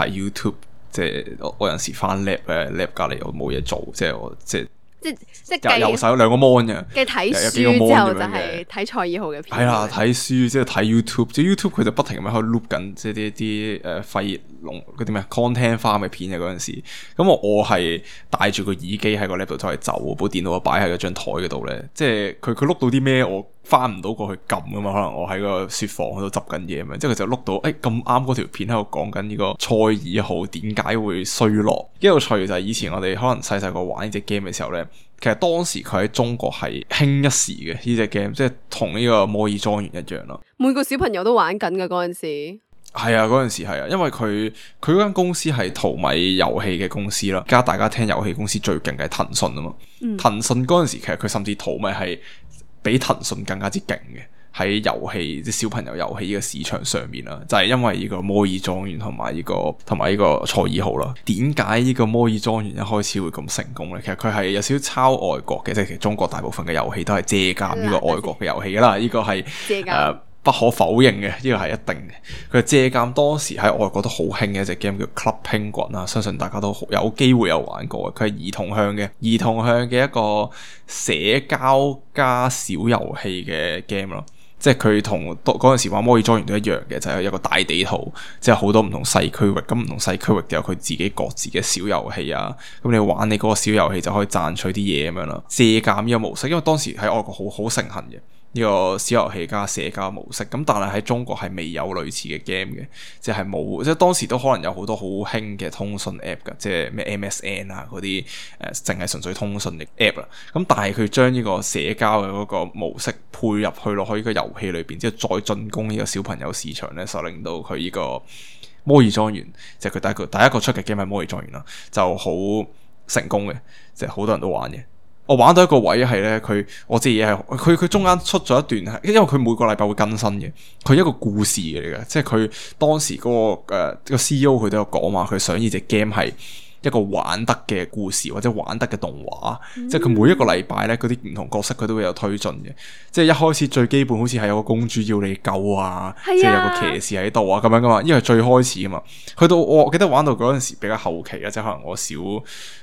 YouTube， 即係我有陣時翻 lab 隔籬我冇嘢做，即係右手有兩個 mon 嘅，睇書之後就係睇蔡二號嘅片。係啦，睇書即係睇 YouTube， 即係 YouTube 佢就不停咁樣喺度 loop 緊，即係啲廢龍嗰啲咩 content farm 嘅片嘅嗰陣時，咁我係戴住個耳機喺個 lab 度走嚟走，部電腦我擺喺嗰張台嗰度咧，即係佢碌到啲咩我翻唔到過去撳噶嘛，可能我喺個雪房嗰度執緊嘢咁樣，即係佢就碌到咁啱嗰條片喺度講緊呢個蔡二號點解會衰落。幾有趣就係以前我哋可能細細個玩呢隻 game 嘅時候咧，其實當時佢喺中國係興一時嘅呢隻 game，即係同呢個摩爾莊園一樣咯。每個小朋友都玩緊噶嗰陣時。係啊，嗰陣時係啊，因為佢嗰間公司係淘米遊戲嘅公司啦。而家大家聽遊戲公司最勁嘅係騰訊啊嘛。騰訊嗰陣時其實佢甚至淘米係比騰訊更加之勁嘅，喺遊戲即係小朋友遊戲呢個市場上面啦，就係因為呢個摩爾莊園同埋呢個蔡二號啦。點解呢個摩爾莊園一開始會咁成功咧？其實佢係有少少抄外國嘅，即係其實中國大部分嘅遊戲都係借鑑呢個外國嘅遊戲噶啦。呢個係不可否認嘅，呢個係一定嘅。佢借鑑當時喺外國都好興嘅一隻 game 叫 Club Penguin 啊，相信大家都有機會有玩過嘅。佢係兒童向嘅一個社交加小遊戲嘅 game 咯。即係佢同嗰陣時玩摩爾莊園都一樣嘅，就係一個大地圖，即係好多唔同細區域，咁唔同細區域都有佢自己各自嘅小遊戲啊。咁你玩你嗰個小遊戲就可以賺取啲嘢咁樣啦。借鑑呢個模式，因為當時喺外國好盛行嘅。呢個小遊戲加社交模式，咁但係喺中國係未有類似嘅 game 嘅，即係冇，即係當時都可能有好多好興嘅通訊 app 噶，即係咩 MSN 啊嗰啲淨係純粹通訊嘅 app 啦。咁但係佢將呢個社交嘅嗰個模式配入去落去呢個遊戲裏邊，之後再進攻呢個小朋友市場咧，就令到佢呢個摩爾莊園，即係佢第一個出嘅 game 係摩爾莊園啦，就好成功嘅，即係好多人都玩嘅。我玩到一個位係咧，我知嘢係佢中間出咗一段，因為佢每個禮拜會更新嘅，佢一個故事嚟嘅，即係佢當時嗰個CEO 佢都有講話，佢想呢隻 game 係一個玩得嘅故事或者玩得嘅動畫，即係佢每一個禮拜咧嗰啲唔同角色佢都會有推進嘅，即係一開始最基本好似係有個公主要你救啊，即係有個騎士喺度啊咁樣噶嘛，因為最開始噶嘛，去到我記得玩到嗰陣時比較後期啦，即係可能我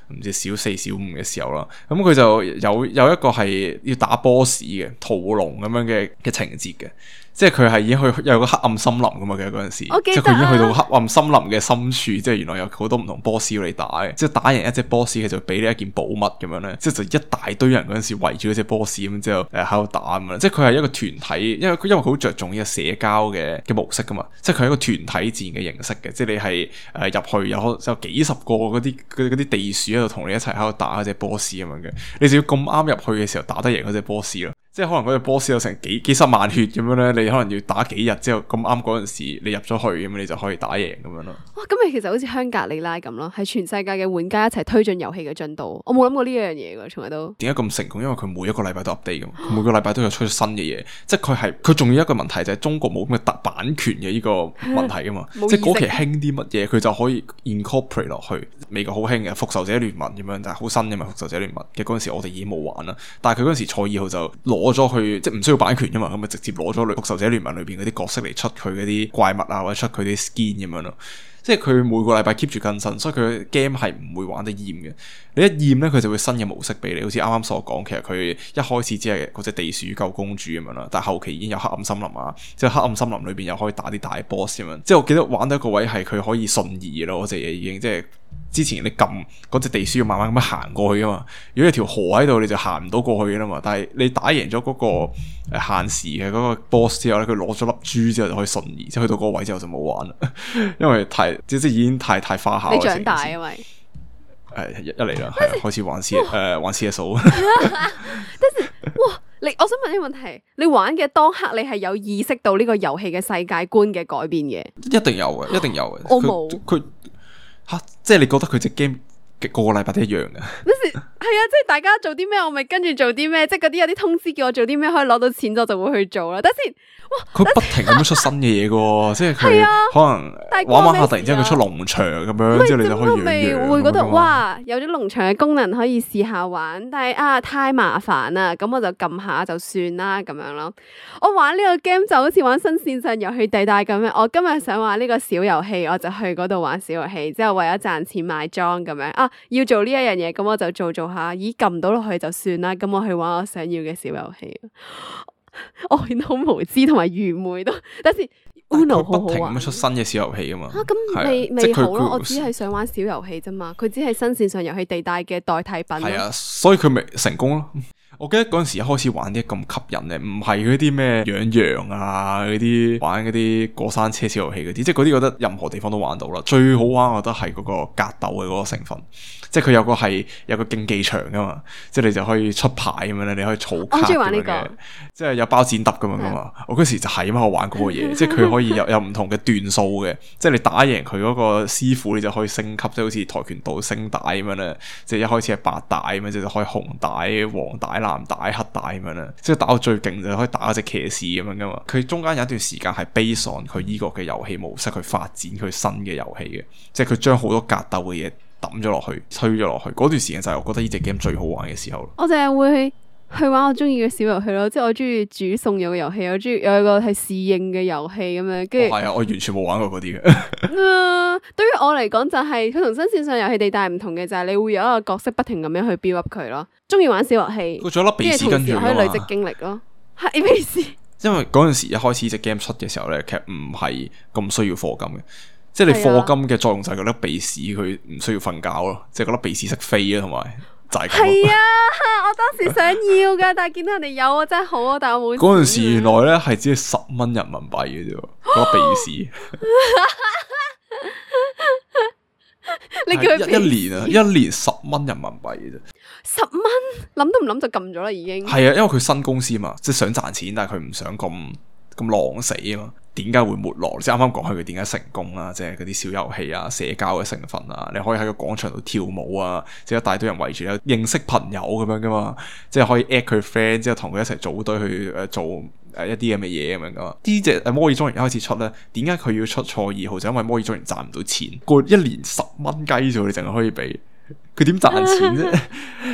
唔知小四小五嘅時候啦，咁佢就有一個係要打 boss 嘅屠龍咁樣嘅情節嘅。即係佢係已經有個黑暗森林噶嘛，其實嗰陣時，即係佢已經去到黑暗森林嘅深處，即係原來有好多唔同 boss 要你打嘅，即係打贏一隻 boss 佢就俾你一件寶物咁樣咧，即係就一大堆人嗰陣時圍住嗰隻 boss 咁之後喺度打咁樣，即係佢係一個團體，因為佢好着重呢個社交嘅模式噶嘛，即係佢係一個團體戰嘅形式嘅，即係你係入去有幾十個嗰啲地鼠喺度同你一齊喺度打嗰隻 boss 咁樣嘅，你就要咁啱入去嘅時候打得贏嗰隻 boss 咯。即係可能嗰隻 boss 有成幾十萬血咁樣咧，你可能要打幾日之後咁啱嗰陣時你入咗去咁，你就可以打贏咁樣咯。哇！咁你其實好似香格里拉咁咯，係全世界嘅玩家一齊推進遊戲嘅進度。我冇諗過呢樣嘢㗎，從來都。點解咁成功？因為佢每一個禮拜都 update 㗎嘛，佢每個禮拜都有出新嘅嘢。即係佢仲要一個問題就係中國冇咁嘅版權嘅呢個問題㗎嘛。即係嗰期興啲乜嘢，佢就可以 incorporate 落去。美國好興嘅復仇者聯盟咁樣，但係好新嘅嘛。復仇者聯盟嘅嗰陣時我哋已經冇玩啦，但係佢嗰陣時蔡二號就攞攞咗佢，即係唔需要版權噶嘛，咁咪直接攞咗復仇者聯盟裏邊嗰啲角色嚟出佢嗰啲怪物啊，或者出佢啲 skin 咁樣咯。即係佢每個禮拜 keep 住更新，所以佢 game 係唔會玩得厭嘅。你一厭咧，佢就會新嘅模式俾你。好似啱啱所講，其實佢一開始只係嗰隻地鼠救公主咁樣啦，但係後期已經有黑暗森林啊，即係黑暗森林裏邊又可以打啲大 boss 咁樣。即係我記得玩到一個位係佢可以瞬移咯，嗰隻嘢已經即係。之前你撳嗰隻地鼠要慢慢咁樣行過去噶嘛，如果有條河喺度你就行唔到過去噶啦嘛。但係你打贏咗嗰個限時嘅嗰個 boss 之後咧，佢攞咗粒珠之後就可以瞬移，即係去到嗰個位之後就冇玩啦，因為即係已經太花巧。你長大因為一嚟啦，係開始玩 CSO。但是哇，我想問呢個問題，你玩嘅當刻你係有意識到呢個遊戲嘅世界觀嘅改變嘅？一定有嘅，一定有嘅。我冇佢。吓，即係你覺得佢隻 game 個個禮拜都一樣嘅？係啊，即係大家做啲咩，我咪跟住做啲咩，即係嗰啲有啲通知叫我做啲咩，可以攞到錢就會去做啦。等先，哇！佢不停咁樣出新嘅嘢嘅，即係佢可能玩下，突然之間佢出農場咁樣，之後你就可以養羊。會覺得哇，有咗農場嘅功能可以試下玩，但係太麻煩啦，咁我就撳下就算啦咁樣咯。我玩呢個 game 就好似玩新線上遊戲地帶咁樣，我今日想玩呢個小遊戲，我就去嗰度玩小遊戲，之後為咗賺錢買裝咁樣要做呢一樣嘢，咁我就做下，咦撳唔到落去就算啦，咁我去玩我想要嘅小遊戲。我變得好無知同埋愚昧都，但是 Uno 好好玩。不停咁出新嘅小遊戲噶嘛？咁未好咯，我只係想玩小遊戲啫嘛，佢只係新線上遊戲地帶嘅代替品。係啊，所以佢咪成功咯。我記得嗰陣時一開始玩啲咁吸引嘅，唔係嗰啲咩養羊啊，嗰啲玩嗰啲過山車小遊戲嗰啲，即係嗰啲覺得任何地方都玩到啦。最好玩我覺得係嗰個格鬥嘅嗰個成分，即係佢有個競技場噶嘛，即係你就可以出牌咁樣咧，你可以儲卡咁樣嘅。我中意玩呢個，即係有包剪揼咁樣噶嘛。我嗰時就係咁我玩嗰個嘢，即係佢可以有唔同嘅段數嘅，即係你打贏佢嗰個師傅，你就可以升級，即係好似跆拳道升帶咁樣咧，即係一開始係白帶咁樣，就可以紅帶、黃帶、藍帶、黑帶咁樣啦，即係打到最勁就可以打一隻騎士咁樣噶嘛。佢中間有一段時間係 base on 佢依個嘅遊戲模式去發展佢新嘅遊戲嘅，即係佢將好多格鬥嘅嘢抌咗落去，推咗落去。嗰段時間就係我覺得呢隻 game 最好玩嘅時候。我淨係會去玩我中意嘅小遊戲咯，即係我中意煮餸有個遊戲，我中意有一個係侍應嘅遊戲咁樣，跟住係啊，我完全冇玩過嗰啲嘅。對於我嚟講就係佢同新線上遊戲地帶唔同嘅就係你會有一個角色不停咁樣去 build up 佢咯，中意玩小遊戲，佢仲有粒鼻屎跟住可以累積經歷咯，係鼻屎。因為嗰陣時一開始隻 game 出嘅時候咧，其實唔係咁需要課金嘅，即係你課金嘅作用就係嗰粒鼻屎佢唔需要瞓覺咯，即係嗰粒鼻屎識飛啊，同埋就係咁。係啊，我當時想要噶，但係見到人哋有啊，真係好啊，但係我冇。嗰陣時原來咧係只係10蚊人民幣嘅啫，嗰粒鼻屎。你叫佢一年10蚊人民幣嘅啫，10蚊諗都唔諗就撳咗啦，已經係啊，因為佢新公司嘛，即係想賺錢，但係佢唔想咁狼死啊嘛。點解會沒落？即係啱啱講佢點解成功啦，即係嗰啲小遊戲啊、社交嘅成分啊，你可以喺個廣場度跳舞啊，即係一大堆人圍住你認識朋友咁樣噶嘛，即係可以 at 佢 friend 之後同佢一齊組隊去做一啲咁嘅嘢咁樣噶嘛。呢隻摩爾莊園一開始出咧，點解佢要出賽2號？就因為摩爾莊園賺唔到錢，過一年10蚊雞啫，你淨係可以俾。佢點賺錢啫？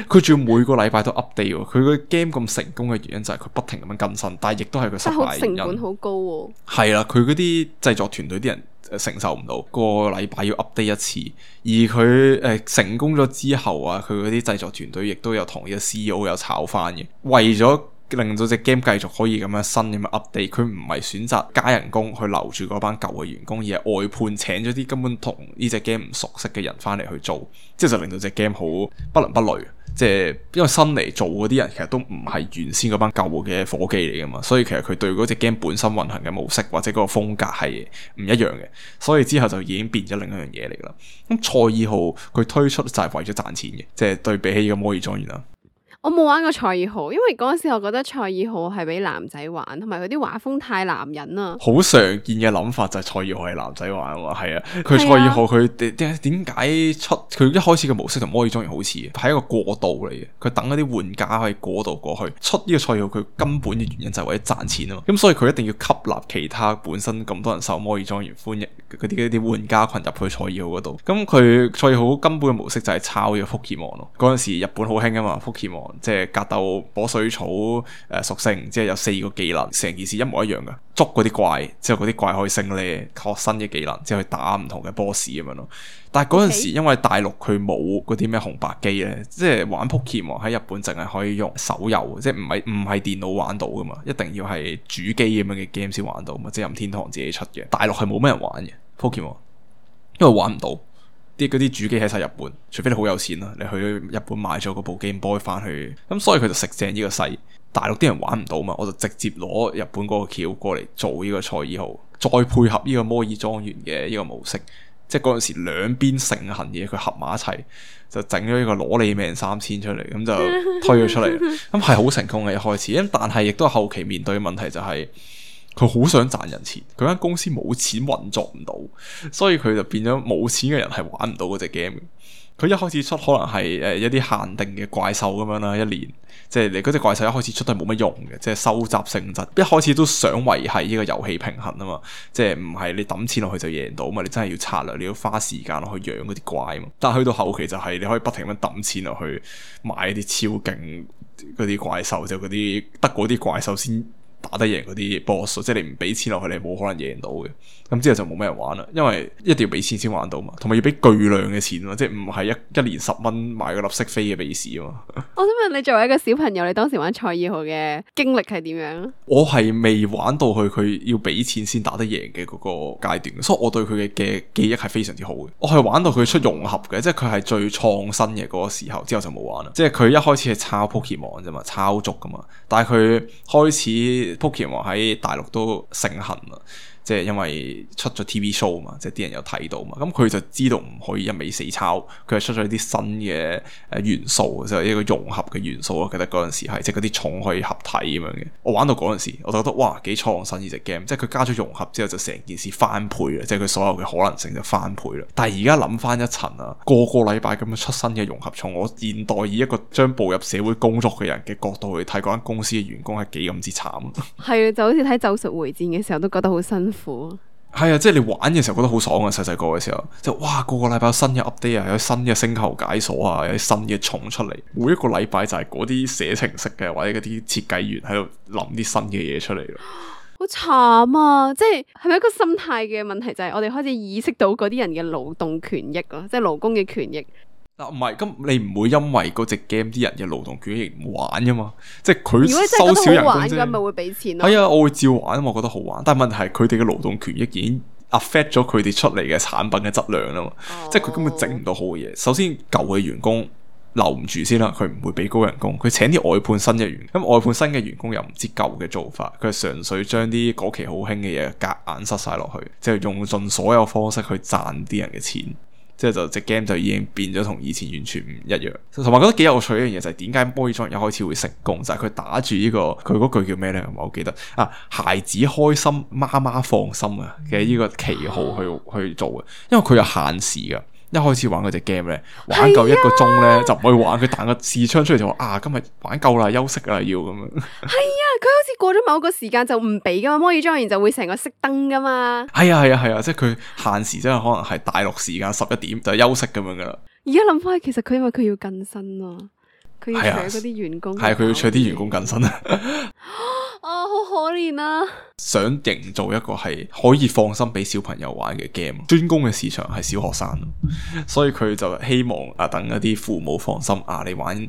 佢仲要每個禮拜都 update 喎。佢個 game 咁成功嘅原因就係佢不停咁樣更新，但係亦都係佢失敗原因。成本好高喎。係啦，佢嗰啲製作團隊啲人承受唔到，個禮拜要 update 一次。而佢成功咗之後啊，佢嗰啲製作團隊亦都有同呢個 CEO 有炒翻嘅，為咗令到隻 game 繼續可以咁樣新咁樣 update，佢唔係選擇加人工去留住嗰班舊嘅員工，而係外判請咗啲根本同呢隻 game 唔熟悉嘅人翻嚟去做，即係就令到隻 game 好不倫不類。即係因為新嚟做嗰啲人其實都唔係原先嗰班舊嘅伙計嚟噶嘛，所以其實佢對嗰隻 game 本身運行嘅模式或者嗰個風格係唔一樣嘅，所以之後就已經變咗另一樣嘢嚟噶啦。咁賽2號佢推出就係為咗賺錢嘅，即係對比起呢個摩爾莊園啦。我冇玩過賽2號，因為嗰陣時我覺得賽2號係俾男仔玩，同埋佢啲畫風太男人啦。好常見嘅諗法就係賽2號係男仔玩啊嘛，係啊，佢賽2號佢點解出佢一開始嘅模式同摩爾莊園好似，係一個過渡嚟嘅。佢等嗰啲玩家可以過渡過去，出呢個賽2號佢根本嘅原因就係為咗賺錢啊嘛。咁所以佢一定要吸納其他本身咁多人受摩爾莊園歡迎嗰啲玩家群入去賽2號嗰度。咁佢賽2號根本嘅模式就係抄呢個福爾摩咯。嗰陣時日本好興啊嘛，福爾摩。即係格鬥火水草屬性，即係有4個技能，成件事一模一樣嘅。捉嗰啲怪之後，嗰啲怪可以升呢，學新嘅技能之後去打唔同嘅 boss 咁樣咯。但係嗰陣時因為大陸佢冇嗰啲咩紅白機咧，即係玩 Pokemon 喺日本淨係可以用手遊，即係唔係電腦玩到噶嘛，一定要係主機咁樣嘅 game 先玩到嘛，即係任天堂自己出嘅。大陸係冇咩人玩嘅 Pokemon， 因為玩唔到。嗰啲主機喺晒日本，除非你好有錢啦，你去日本買咗嗰部 Game Boy 翻去，咁所以佢就食正呢個勢。大陸啲人玩唔到嘛，我就直接攞日本嗰個橋過嚟做呢個賽爾號，再配合呢個摩爾莊園嘅呢個模式，即係嗰陣時兩邊盛行嘢佢合埋一齊，就整咗呢個攞你命3000出嚟，咁就推咗出嚟，咁係好成功嘅一開始，但係亦都後期面對嘅問題就係、佢好想賺人錢，佢間公司冇錢運作唔到，所以佢就變咗冇錢嘅人係玩唔到嗰隻 game。佢一開始出可能係一啲限定嘅怪獸咁樣啦，一年即係你嗰隻怪獸一開始出都係冇乜用嘅，即係收集性質。一開始都想維繫呢個遊戲平衡啊嘛，即係唔係你抌錢落去就贏到嘛，你真係要策略，你要花時間落去養嗰啲怪嘛。但係去到後期就係你可以不停咁抌錢落去買一啲超勁嗰啲怪獸，就嗰啲得嗰啲怪獸先打得贏嗰啲 boss， 即係你唔俾錢落去，你冇可能贏到嘅。咁之後就冇咩人玩啦，因為一定要俾錢先玩到嘛，同埋要俾巨量嘅錢嘛，即係唔係一年10蚊買個粒識飛嘅比士啊嘛。我想問你作為一個小朋友，你當時玩賽爾號嘅經歷係點樣？我係未玩到佢要俾錢先打得贏嘅嗰個階段，所以我對佢嘅記憶係非常之好嘅。我係玩到佢出融合嘅，即係佢係最創新嘅嗰個時候，之後就冇玩啦。即係佢一開始係抄 Pokemon 啫嘛，抄足噶嘛，但係佢開始 Pokemon 喺大陸都盛行啦。即係因為出咗 TV show 嘛，即係啲人有睇到嘛，咁佢就知道唔可以一味死抄，佢係出咗啲新嘅元素，就係一個融合嘅元素。我記得嗰陣時係即係嗰啲蟲可以合體咁樣嘅。我玩到嗰陣時，我就覺得哇幾創新呢隻 game，即係佢加咗融合之後就成件事翻倍啦，即係佢所有嘅可能性就翻倍啦。但係而家諗翻一層啊，個禮拜咁樣出新嘅融合蟲，我現代以一個將步入社會工作嘅人嘅角度去睇嗰間公司嘅員工係幾咁之慘。係啊，就好似睇《咒術迴戰》嘅時候都覺得好辛苦。係啊，即係你玩嘅時候覺得好爽啊！細細個嘅時候，就哇個禮拜有新嘅 update 啊，有新嘅星球解鎖啊，有啲新嘅蟲出嚟。每一個禮拜就係嗰啲寫程式嘅或者嗰啲設計員喺度諗啲新嘅嘢出嚟咯。好慘啊！即係咪一個心態嘅問題？就係我哋開始意識到嗰啲人嘅勞動權益咯，即係勞工嘅權益。唔係，咁你唔會因為嗰隻 game 啲人嘅勞動權益唔玩噶嘛？即係佢收少人工啫。如果真係覺得好玩嘅，咪會俾錢咯。係啊，我會照玩，我覺得好玩。但係問題係佢哋嘅勞動權益已經 affect 咗佢哋出嚟嘅產品嘅質量啦嘛。即係佢根本整唔到好嘅嘢。首先舊嘅員工留唔住先啦，佢唔會俾高人工。佢請啲外判新嘅員，咁外判新嘅員工又唔知舊嘅做法，佢係純粹將啲嗰期好興嘅嘢夾硬塞晒落去，即係用盡所有方式去賺啲人嘅錢。即係就隻 game 就已經變咗同以前完全唔一樣，同埋覺得幾有趣一樣嘢就係點解摩爾莊園一開始會成功，就係、是、佢打住呢、這個佢嗰句叫咩咧？我記得啊，孩子開心，媽媽放心啊嘅呢個旗號去做嘅，因為佢有限時噶。一開始玩嗰隻 game 咧，玩夠1個鐘咧、啊、就唔可以玩，佢彈個視窗出嚟就話啊，今日玩夠啦，休息啦要咁樣。係啊，佢好似過咗某個時間就唔俾噶嘛，摩爾莊園就會成個熄燈噶嘛。係啊，即係佢限時，即係可能係大陸時間11點就休息咁樣噶啦。而家諗翻，其實佢因為佢要更新啊，佢要請嗰啲員工，係佢要請啲員工更新啊。啊，好可憐啊！想營造一個係可以放心俾小朋友玩嘅 game， 專攻嘅市場係小學生，所以佢就希望啊，等一啲父母放心啊，你玩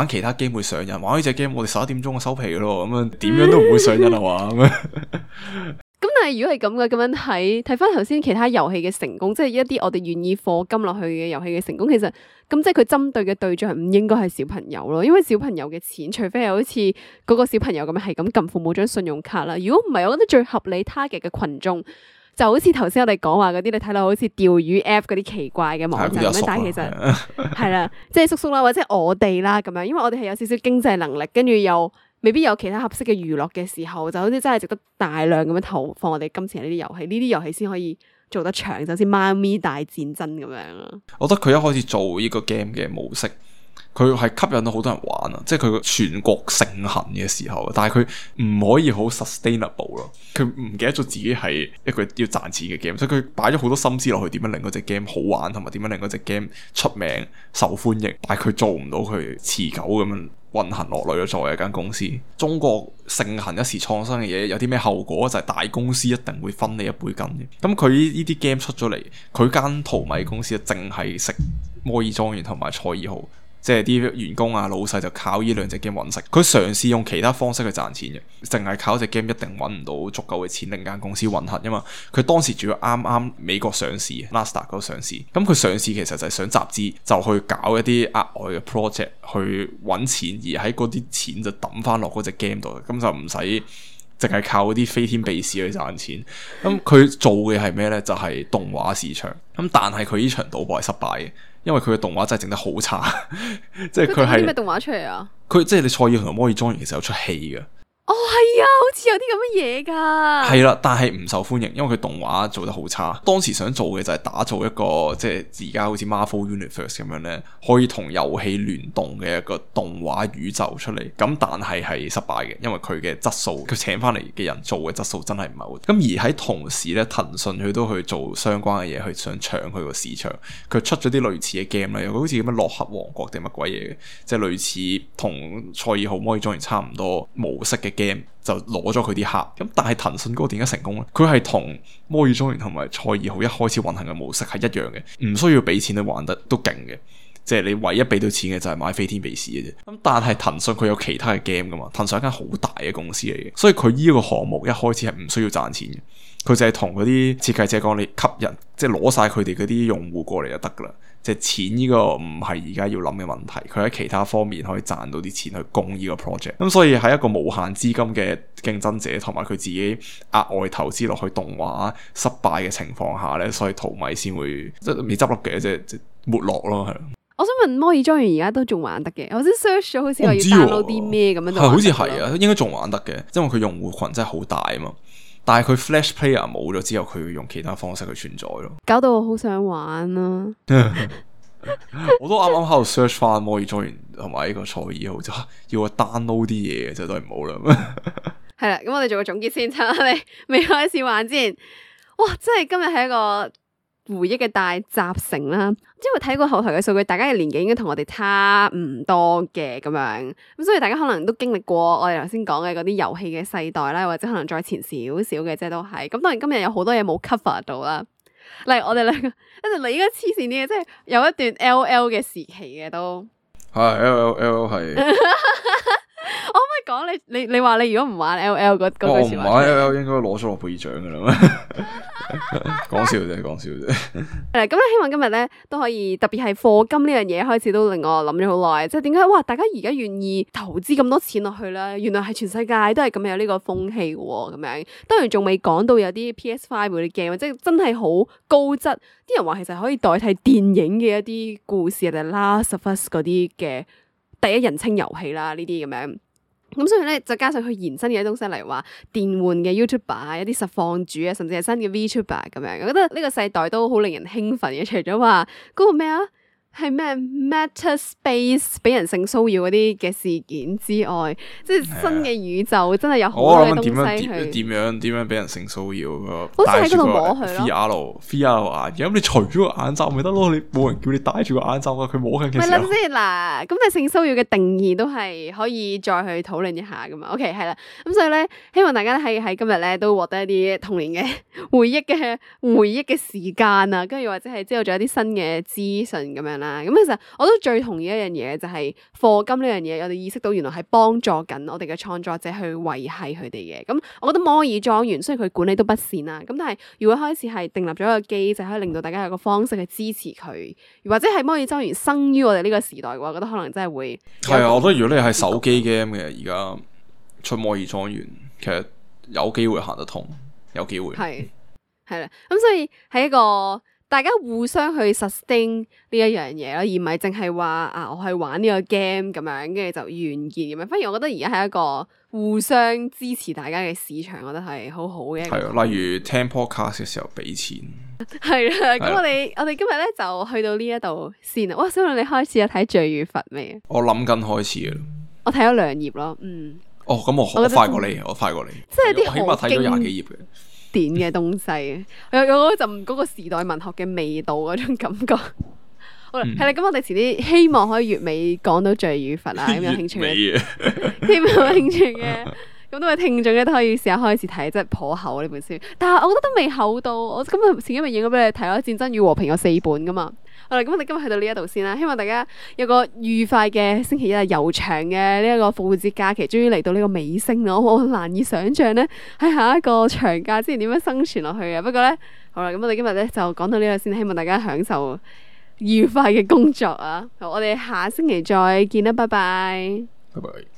其他 game 會上癮，玩呢隻 game 我哋11點鐘就收皮咯，咁樣點樣都唔會上癮啊嘛咁樣。咁但係如果係咁嘅，咁樣睇翻頭先其他遊戲嘅成功，即係一啲我哋願意課金落去嘅遊戲嘅成功，其實咁即係佢針對嘅對象唔應該係小朋友咯，因為小朋友嘅錢，除非係好似嗰個小朋友咁樣係咁撳父母張信用卡啦。如果唔係，我覺得最合理 target 嘅群眾就好似頭先我哋講話嗰啲，你睇到好似釣魚 app 嗰啲奇怪嘅網站咁樣，但係其實係啦，即係叔叔啦，或者我哋啦咁樣，因為我哋係有少少經濟能力，跟住又未必有其他合適嘅娛樂嘅時候，就好似真係值得大量咁樣投放我哋金錢喺呢啲遊戲，呢啲遊戲先可以做得長，就好似媽咪大戰爭咁樣啊。我覺得佢一開始做呢個 game 嘅模式，佢係吸引到好多人玩啊，即係佢全國盛行嘅時候，但係佢唔可以好 sustainable 咯，佢唔記得咗自己係一個要賺錢嘅 game，所以佢擺咗好多心思落去點樣令嗰隻 game 好玩，同埋點樣令嗰隻 game 出名受歡迎，但係佢做唔到佢持久咁樣運行落嚟咯。作為一間公司，中國盛行一時創新嘅嘢，有啲咩後果就係大公司一定會分你一杯羹嘅。咁佢呢啲 game 出咗嚟，佢間淘米公司淨係食摩爾莊園同埋賽爾號。即係啲員工啊、老細就靠呢兩隻 game 揾食，佢嘗試用其他方式去賺錢嘅，淨係靠隻 game 一定揾唔到足夠嘅錢令間公司運行，因為佢當時主要啱啱美國上市 ，Nasdaq 嗰個上市，咁佢上市其實就係想集資，就去搞一啲額外嘅 project 去揾錢，而喺嗰啲錢就抌翻落嗰隻 game 度，咁就唔使淨係靠嗰啲飛天秘士去賺錢。咁佢做嘅係咩呢？就係動畫市場。咁但係佢呢場賭博係失敗嘅。因為佢嘅動畫真係整得好差，即係佢係啲咩動畫出嚟啊？佢即係你賽爾同摩爾莊園其實有出戲嘅。哦，係啊，好似有啲咁嘅嘢噶。係啦，但係唔受歡迎，因為佢動畫做得好差。當時想做嘅就係打造一個即係而家好似 Marvel Universe 咁樣咧，可以同遊戲聯動嘅一個動畫宇宙出嚟。咁但係失敗嘅，因為佢嘅質素，佢請翻嚟嘅人做嘅質素真係唔係好。咁而喺同時咧，騰訊佢都去做相關嘅嘢，去想搶佢個市場。佢出咗啲類似嘅 game 咧，有個好似咁樣洛克王國定乜鬼嘢嘅，即係類似同賽爾號摩爾莊園差唔多模式嘅 game，就攞咗佢啲客。咁但係騰訊嗰個點解成功咧？佢係同摩爾莊園同埋賽爾號一開始運行嘅模式係一樣嘅，唔需要俾錢去玩得都勁嘅。即係你唯一俾到錢嘅就係買飛天秘士嘅啫。咁但係騰訊佢有其他嘅 game 噶嘛？騰訊係一間好大嘅公司嚟嘅，所以佢呢個項目一開始係唔需要賺錢嘅。佢就係同嗰啲設計者講，你吸引即係攞晒佢哋嗰啲用戶過嚟就得噶啦。即係錢呢個唔係而家要諗嘅問題，佢喺其他方面可以賺到啲錢去供呢個 project。咁所以喺一個無限資金嘅競爭者同埋佢自己額外投資落去動畫失敗嘅情況下咧，所以淘米先會即係未執笠嘅，即係沒落咯，係。我想問摩爾莊園而家都仲玩得嘅？我先 search 咗，好似話要 download 啲咩咁樣就好似係啊，應該仲玩得嘅，因為佢用戶群真係好大啊嘛。但係佢 Flash Player 冇咗之後，佢要用其他方式去存在咯。搞到我好想玩啊！我都啱啱喺度 search 翻摩爾莊園同埋呢個賽爾號，就要我 download 啲嘢嘅，就都係唔好啦。係啦，咁我哋做個總結先，趁我哋未開始玩之前，哇！真係今日係一個回憶嘅大集成啦，因為睇過後台嘅數據，大家嘅年紀應該同我哋差唔多嘅咁樣，咁所以大家可能都經歷過我哋頭先講嘅嗰啲遊戲嘅世代啦，或者可能再前少少嘅，即係都係。咁當然今日有好多嘢冇 cover 到啦，例如我哋兩個，跟住你依家黐線啲嘅，即係有一段 LL 嘅時期嘅都係 LL 係。我可唔可以講你話你如果唔玩 LL 嗰句說話？我唔玩 LL 應該攞咗諾貝爾獎噶啦。講笑啫，講笑啫。咁咧希望今日咧都可以，特別係課金呢樣嘢開始都令我諗咗好耐，即係點解哇？大家而家願意投資咁多錢落去咧？原來係全世界都係咁有呢個風氣嘅喎，咁樣當然仲未講到有啲 PS5 嗰啲 game，即係真係好高質。啲人話其實可以代替電影嘅一啲故事，定係 Last of Us 嗰啲嘅第一人稱遊戲啦，呢啲咁樣。咁所以咧，就加上佢延伸嘅一啲東西，例如話電玩嘅 YouTuber 一啲實況主啊，甚至係新嘅 VTuber 咁樣，我覺得呢個世代都好令人興奮嘅。除咗話嗰個咩啊，係咩 Meta Space 俾人性騷擾嗰啲嘅事件之外，即係新嘅宇宙真係有好多嘅東西去。點樣俾人性騷擾？好似喺嗰度摸佢咯。VR 眼鏡，咁你除咗個眼罩咪得咯？你冇人叫你戴住個眼罩啊！佢摸緊嘅時候。咪諗先嗱，咁但係性騷擾嘅定義都係可以再去討論一下噶嘛。OK， 係啦，咁所以咧，希望大家喺今日咧都獲得一啲童年嘅回憶嘅時間啊，跟住或者係知道咗一啲新嘅資訊咁樣啦。咁其實我都最同意一樣嘢，就係課金呢樣嘢，我哋意識到原來係幫助緊我哋嘅創作者去維繫佢哋嘅。咁我覺得摩爾莊園雖然佢管理都不善啦，咁但係如果開始係訂立咗一個機制，可以令到大家有個方式去支持佢，或者係摩爾莊園生於我哋呢個時代嘅話，我覺得可能真係會係啊！我覺得如果你係手機 game 嘅，而家出摩爾莊園，其實有機會行得通，有機會係啦。咁所以係一個大家互相去 sustain 呢一樣嘢咯，而唔係淨係話啊，我去玩呢個 game 咁樣，跟住就完結咁樣。反而我覺得而家係一個互相支持大家嘅市場，我覺得係好好嘅。係啊，例如聽 podcast 嘅時候俾錢。係啦，咁我哋今日咧就去到呢一度先啦。哇，小龍你開始有睇《罪與罰》未？我諗緊開始嘅，我睇咗2頁咯。哦，咁我快過你，我快過你，即係啲起碼睇咗20幾頁嘅。點嘅東西，有嗰陣嗰個時代文學嘅味道嗰種感覺。好啦，係啦，咁我哋遲啲希望可以月尾講到罪與罰啊，咁有興趣嘅，希望有興趣嘅。咁多位聽眾咧都可以試下開始睇，即係頗厚呢本書。但係我覺得都未厚到，我今日前幾日影咗俾你睇咯，《戰爭與和平》有4本噶嘛。好啦，咁我哋今日去到呢一度先啦。希望大家有個愉快嘅星期一啊，悠長嘅呢一個復活節假期，終於嚟到呢個尾聲啦。我難以想像咧喺下一個長假之前點樣生存落去嘅。不過咧，好啦，咁我哋今日咧就講到呢度先，希望大家享受愉快嘅工作啊。好，我哋下星期再見啦，拜拜。拜拜。